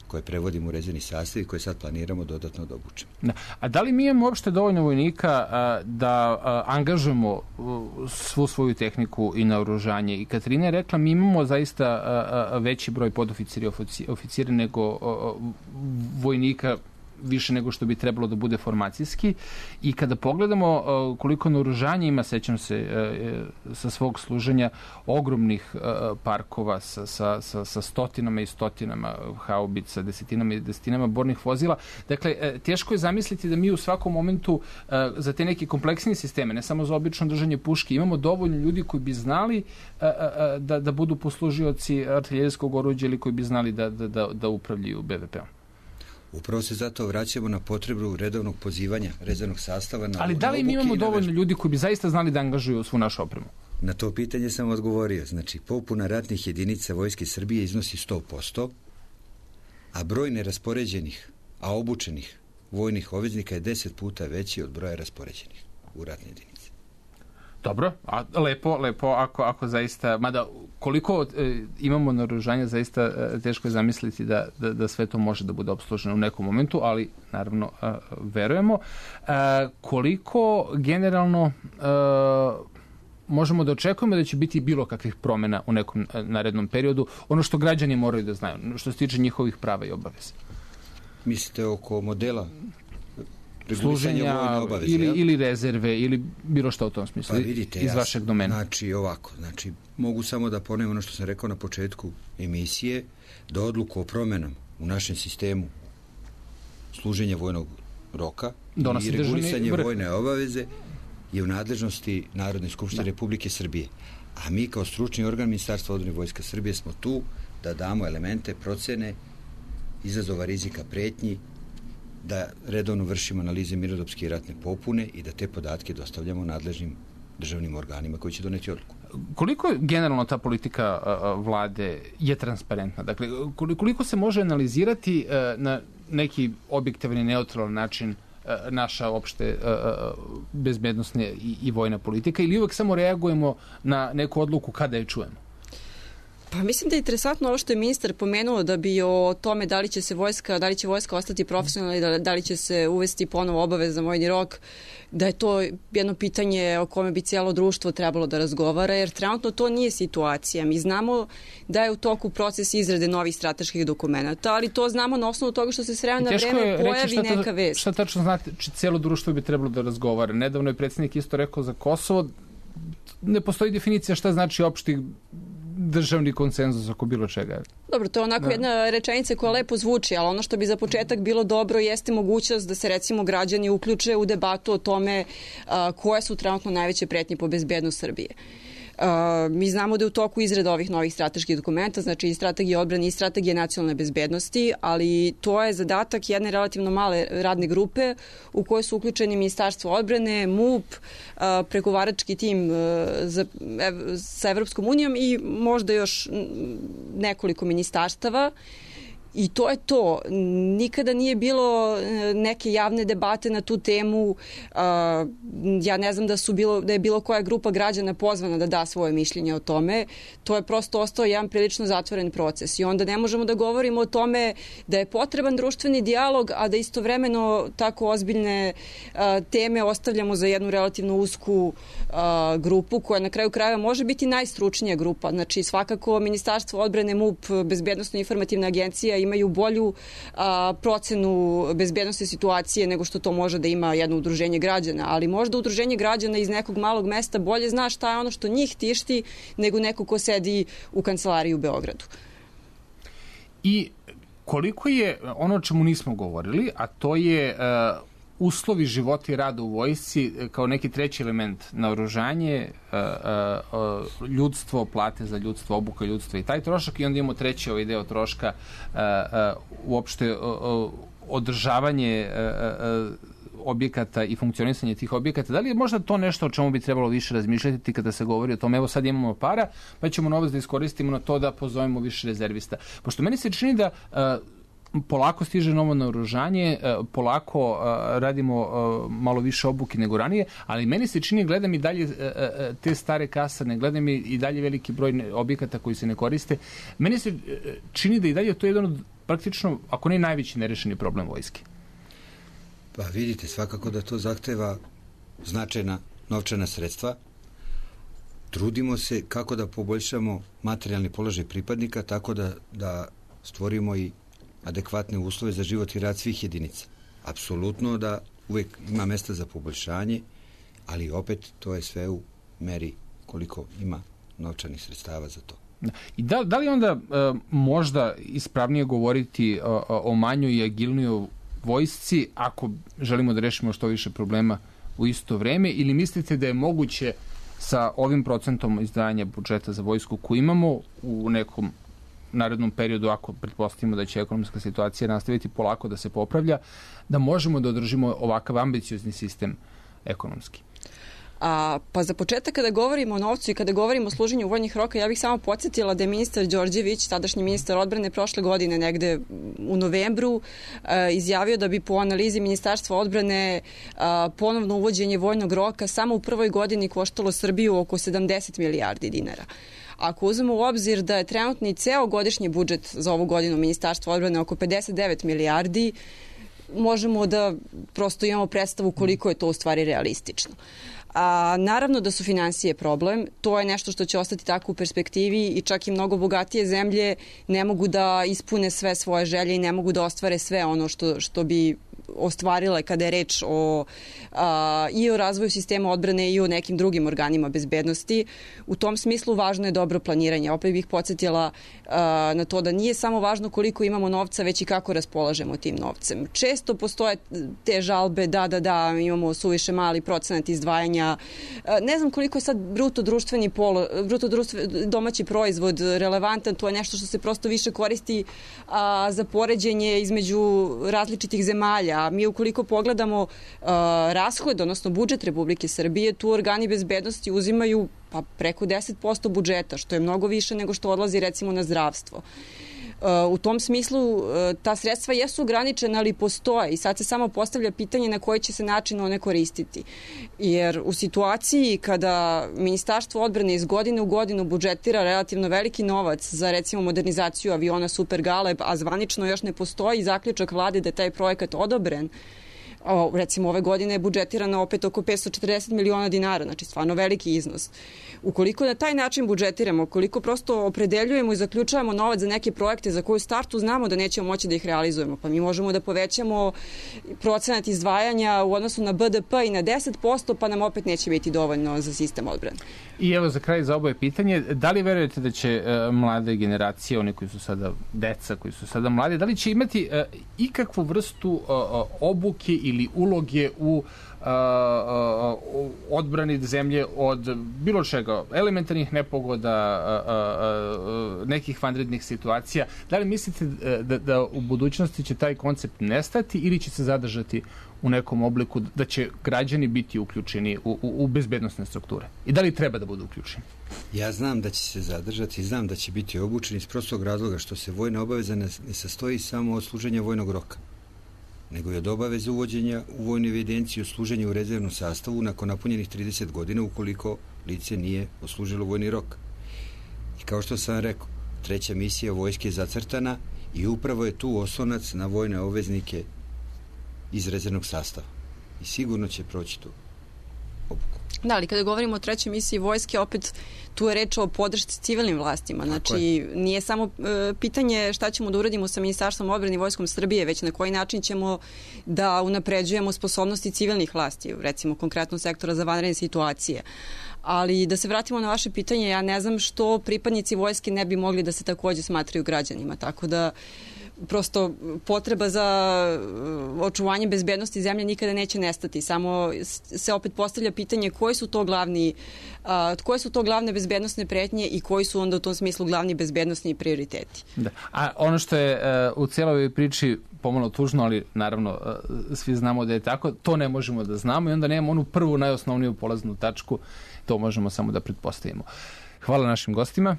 S2: koje prevodimo u rezervni sastav i koje sad planiramo dodatno da obučemo.
S1: Da. A da li mi imamo uopšte dovoljno vojnika a, da a, angažujemo a, svu svoju tehniku i naoružanje? I Katarina je rekla, mi imamo zaista a, a, veći broj podoficira i oficira nego a, a, vojnika, više nego što bi trebalo da bude formacijski. I kada pogledamo uh, koliko naoružanja ima, sećam se uh, sa svog služenja, ogromnih uh, parkova sa, sa, sa, sa stotinama i stotinama haubica, desetinama i desetinama bornih vozila. Dakle, uh, teško je zamisliti da mi u svakom momentu uh, za te neke kompleksnije sisteme, ne samo za obično držanje puške, imamo dovoljno ljudi koji bi znali uh, uh, da, da budu poslužioci artiljerijskog oruđa ili koji bi znali da, da, da, da upravljaju be ve peom.
S2: Upravo se zato vraćamo na potrebu redovnog pozivanja rezervnog sastava. Na,
S1: ali da li mi imamo dovoljno ljudi koji bi zaista znali da angažuju svu našu opremu?
S2: Na to pitanje sam odgovorio. Znači, popuna ratnih jedinica Vojske Srbije iznosi sto posto, a broj neraspoređenih, a obučenih vojnih obveznika je deset puta veći od broja raspoređenih u ratne jedinice.
S1: Dobro, a lepo, lepo, ako, ako zaista, mada koliko e, imamo naoružanja, zaista e, teško je zamisliti da, da, da sve to može da bude opsluženo u nekom momentu, ali naravno e, verujemo. E, koliko generalno e, možemo da očekujemo da će biti bilo kakvih promjena u nekom narednom periodu, ono što građani moraju da znaju, što se tiče njihovih prava i obaveza?
S2: Mislite oko modela
S1: služenja obaveze, ili, ili rezerve ili bilo što u tom smislu,
S2: pa vidite,
S1: iz
S2: ja,
S1: vašeg domena.
S2: Znači ovako, znači mogu samo da ponovim ono što sam rekao na početku emisije, da odluku o promjenama u našem sistemu služenja vojnog roka
S1: donosi
S2: i regulisanje
S1: vrh.
S2: Vojne obaveze je u nadležnosti Narodne skupštine Republike Srbije. A mi kao stručni organ Ministarstva odbrane Vojska Srbije smo tu da damo elemente procene izazova, rizika, pretnji, da redovno vršimo analize mirnodopske i ratne popune i da te podatke dostavljamo nadležnim državnim organima koji će doneti odluku.
S1: Koliko je generalno ta politika a, vlade je transparentna? Dakle, koliko se može analizirati a, na neki objektivan i neutralan način a, naša opšte a, bezbednostna i, i vojna politika, ili uvek samo reagujemo na neku odluku kada je čujemo?
S3: Pa mislim da je interesantno ovo što je ministar pomenuo, da bi o tome da li će se vojska, da li će vojska ostati profesionalna i da, da li će se uvesti ponovo obavezan vojni rok, da je to jedno pitanje o kome bi cijelo društvo trebalo da razgovara, jer trenutno to nije situacija. Mi znamo da je u toku proces izrade novih strateških dokumenta, ali to znamo na osnovu toga što se s vremena na vreme pojavi neka vest.
S1: Šta tačno znate, cijelo društvo bi trebalo da razgovara? Nedavno je predsjednik isto rekao za Kosovo, ne postoji definicija šta znači opšti državni konsenzus oko bilo čega.
S3: Dobro, to je onako da. jedna rečenica koja lepo zvuči, ali ono što bi za početak bilo dobro jeste mogućnost da se recimo građani uključe u debatu o tome a, koje su trenutno najveće pretnje po bezbednost Srbije. Uh, mi znamo da je u toku izrada ovih novih strateških dokumenta, znači i strategije odbrane i strategije nacionalne bezbednosti, ali to je zadatak jedne relativno male radne grupe u kojoj su uključeni Ministarstvo odbrane, MUP, uh, pregovarački tim uh, za, ev, sa Evropskom unijom i možda još nekoliko ministarstava. I to je to. Nikada nije bilo neke javne debate na tu temu. Ja ne znam da, su bilo, da je bilo koja grupa građana pozvana da da svoje mišljenje o tome. To je prosto ostao jedan prilično zatvoren proces. I onda ne možemo da govorimo o tome da je potreban društveni dijalog, a da istovremeno tako ozbiljne teme ostavljamo za jednu relativno usku grupu koja na kraju krajeva može biti najstručnija grupa. Znači svakako Ministarstvo odbrane, MUP, Bezbednosno informativna agencija imaju bolju a, procenu bezbednosti situacije nego što to može da ima jedno udruženje građana, ali možda udruženje građana iz nekog malog mesta bolje zna šta je ono što njih tišti nego neko ko sedi u kancelariji u Beogradu.
S1: I koliko je ono o čemu nismo govorili, a to je uh, uslovi života i rada u vojsci kao neki treći element, naoružanje, ljudstvo, plate za ljudstvo, obuka ljudstva i taj trošak, i onda imamo treći ovaj deo troška, uopšte održavanje objekata i funkcionisanje tih objekata. Da li je možda to nešto o čemu bi trebalo više razmišljati kada se govori o tome? Evo sad imamo para, pa ćemo novac da iskoristimo na to da pozovemo više rezervista. Pošto meni se čini da polako stiže novo naoružanje, polako radimo malo više obuke nego ranije, ali meni se čini, gledam i dalje te stare kasarne, gledam i dalje veliki broj objekata koji se ne koriste. Meni se čini da i dalje to je jedan od praktično, ako ne najveći nerešeni problem vojske.
S2: Pa vidite, svakako da to zahteva značajna novčana sredstva. Trudimo se kako da poboljšamo materijalni položaj pripadnika, tako da, da stvorimo i adekvatne uslove za život i rad svih jedinica. Apsolutno da uvek ima mesta za poboljšanje, ali opet to je sve u meri koliko ima novčanih sredstava za to.
S1: I da, da li onda e, možda ispravnije govoriti o, o manjoj i agilnijoj vojsci ako želimo da rešimo što više problema u isto vreme, ili mislite da je moguće sa ovim procentom izdvajanja budžeta za vojsku koji imamo u nekom narednom periodu, ako pretpostavimo da će ekonomska situacija nastaviti polako da se popravlja, da možemo da održimo ovakav ambiciozni sistem ekonomski?
S3: A, pa za početak, kada govorimo o novcu i kada govorimo o služenju vojnih roka, ja bih samo podsjetila da je ministar Đorđević, tadašnji ministar odbrane, prošle godine negde u novembru a, izjavio da bi po analizi Ministarstva odbrane a, ponovno uvođenje vojnog roka samo u prvoj godini koštalo Srbiju oko sedamdeset milijardi dinara. Ako uzmemo u obzir da je trenutni ceo godišnji budžet za ovu godinu Ministarstva odbrane oko pedeset devet milijardi, možemo da prosto imamo predstavu koliko je to u stvari realistično. A, naravno da su finansije problem, to je nešto što će ostati tako u perspektivi i čak i mnogo bogatije zemlje ne mogu da ispune sve svoje želje i ne mogu da ostvare sve ono što, što bi ostvarile kada je reč o, a, i o razvoju sistema odbrane i o nekim drugim organima bezbednosti. U tom smislu važno je dobro planiranje. Opet bih podsjetila a, na to da nije samo važno koliko imamo novca, već i kako raspolažemo tim novcem. Često postoje te žalbe, da, da, da, imamo suviše mali procenat izdvajanja. A, ne znam koliko je sad bruto društveni polo, bruto društveni domaći proizvod relevantan, to je nešto što se prosto više koristi a, za poređenje između različitih zemalja. A mi ukoliko pogledamo uh, rashod, odnosno budžet Republike Srbije, tu organi bezbednosti uzimaju pa preko deset posto budžeta, što je mnogo više nego što odlazi recimo na zdravstvo. Uh, u tom smislu uh, ta sredstva jesu ograničena, ali postoje i sad se samo postavlja pitanje na koji će se način one koristiti. Jer u situaciji kada Ministarstvo odbrane iz godine u godinu budžetira relativno veliki novac za recimo modernizaciju aviona Super Galeb, a zvanično još ne postoji zaključak vlade da je taj projekat odobren, O, recimo ove godine je budžetirano opet oko petsto četrdeset miliona dinara, znači stvarno veliki iznos. Ukoliko na taj način budžetiramo, ukoliko prosto opredeljujemo i zaključavamo novac za neke projekte za koju startu znamo da nećemo moći da ih realizujemo, pa mi možemo da povećamo procenat izdvajanja u odnosu na B D P i na deset posto, pa nam opet neće biti dovoljno za sistem odbrane.
S1: I evo za kraj za oboje pitanje, da li verujete da će uh, mlade generacije, oni koji su sada deca, koji su sada mladi, da li će imati uh, ikakvu vrstu uh, obuke ili uloge u uh, uh, odbrani zemlje od bilo čega, elementarnih nepogoda, uh, uh, nekih vanrednih situacija? Da li mislite da, da u budućnosti će taj koncept nestati ili će se zadržati u nekom obliku, da će građani biti uključeni u, u, u bezbednostne strukture? I da li treba da budu uključeni?
S2: Ja znam da će se zadržati, znam da će biti obučeni iz prostog razloga što se vojna obaveza ne, ne sastoji samo od služenja vojnog roka, nego je od obaveze uvođenja u vojnu evidenciju o služenju u rezervnom sastavu nakon napunjenih trideset godina ukoliko lice nije oslužilo vojni rok. I kao što sam rekao, treća misija vojske je zacrtana i upravo je tu oslonac na vojne obveznike iz rezervnog sastava. I sigurno će proći tu obuku.
S3: Da, ali kada govorimo o trećoj misiji vojske, opet tu je reč o podršci civilnim vlastima. Znači, nije samo e, pitanje šta ćemo da uradimo sa Ministarstvom odbrane i Vojskom Srbije, već na koji način ćemo da unapređujemo sposobnosti civilnih vlasti, recimo konkretno sektora za vanredne situacije. Ali da se vratimo na vaše pitanje, ja ne znam što pripadnici vojske ne bi mogli da se takođe smatraju građanima, tako da prosto potreba za očuvanje bezbednosti zemlje nikada neće nestati. Samo se opet postavlja pitanje koji su to glavni, a, koje su to glavne bezbednosne pretnje i koji su onda u tom smislu glavni bezbednosni prioriteti. Da.
S1: A ono što je uh, u cijeloj priči pomalo tužno, ali naravno uh, svi znamo da je tako, to ne možemo da znamo i onda nemamo onu prvu najosnovniju polaznu tačku, to možemo samo da pretpostavimo. Hvala našim gostima.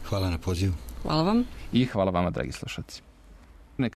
S2: Hvala na pozivu.
S3: Hvala vam.
S1: I hvala vama, dragi slušalci.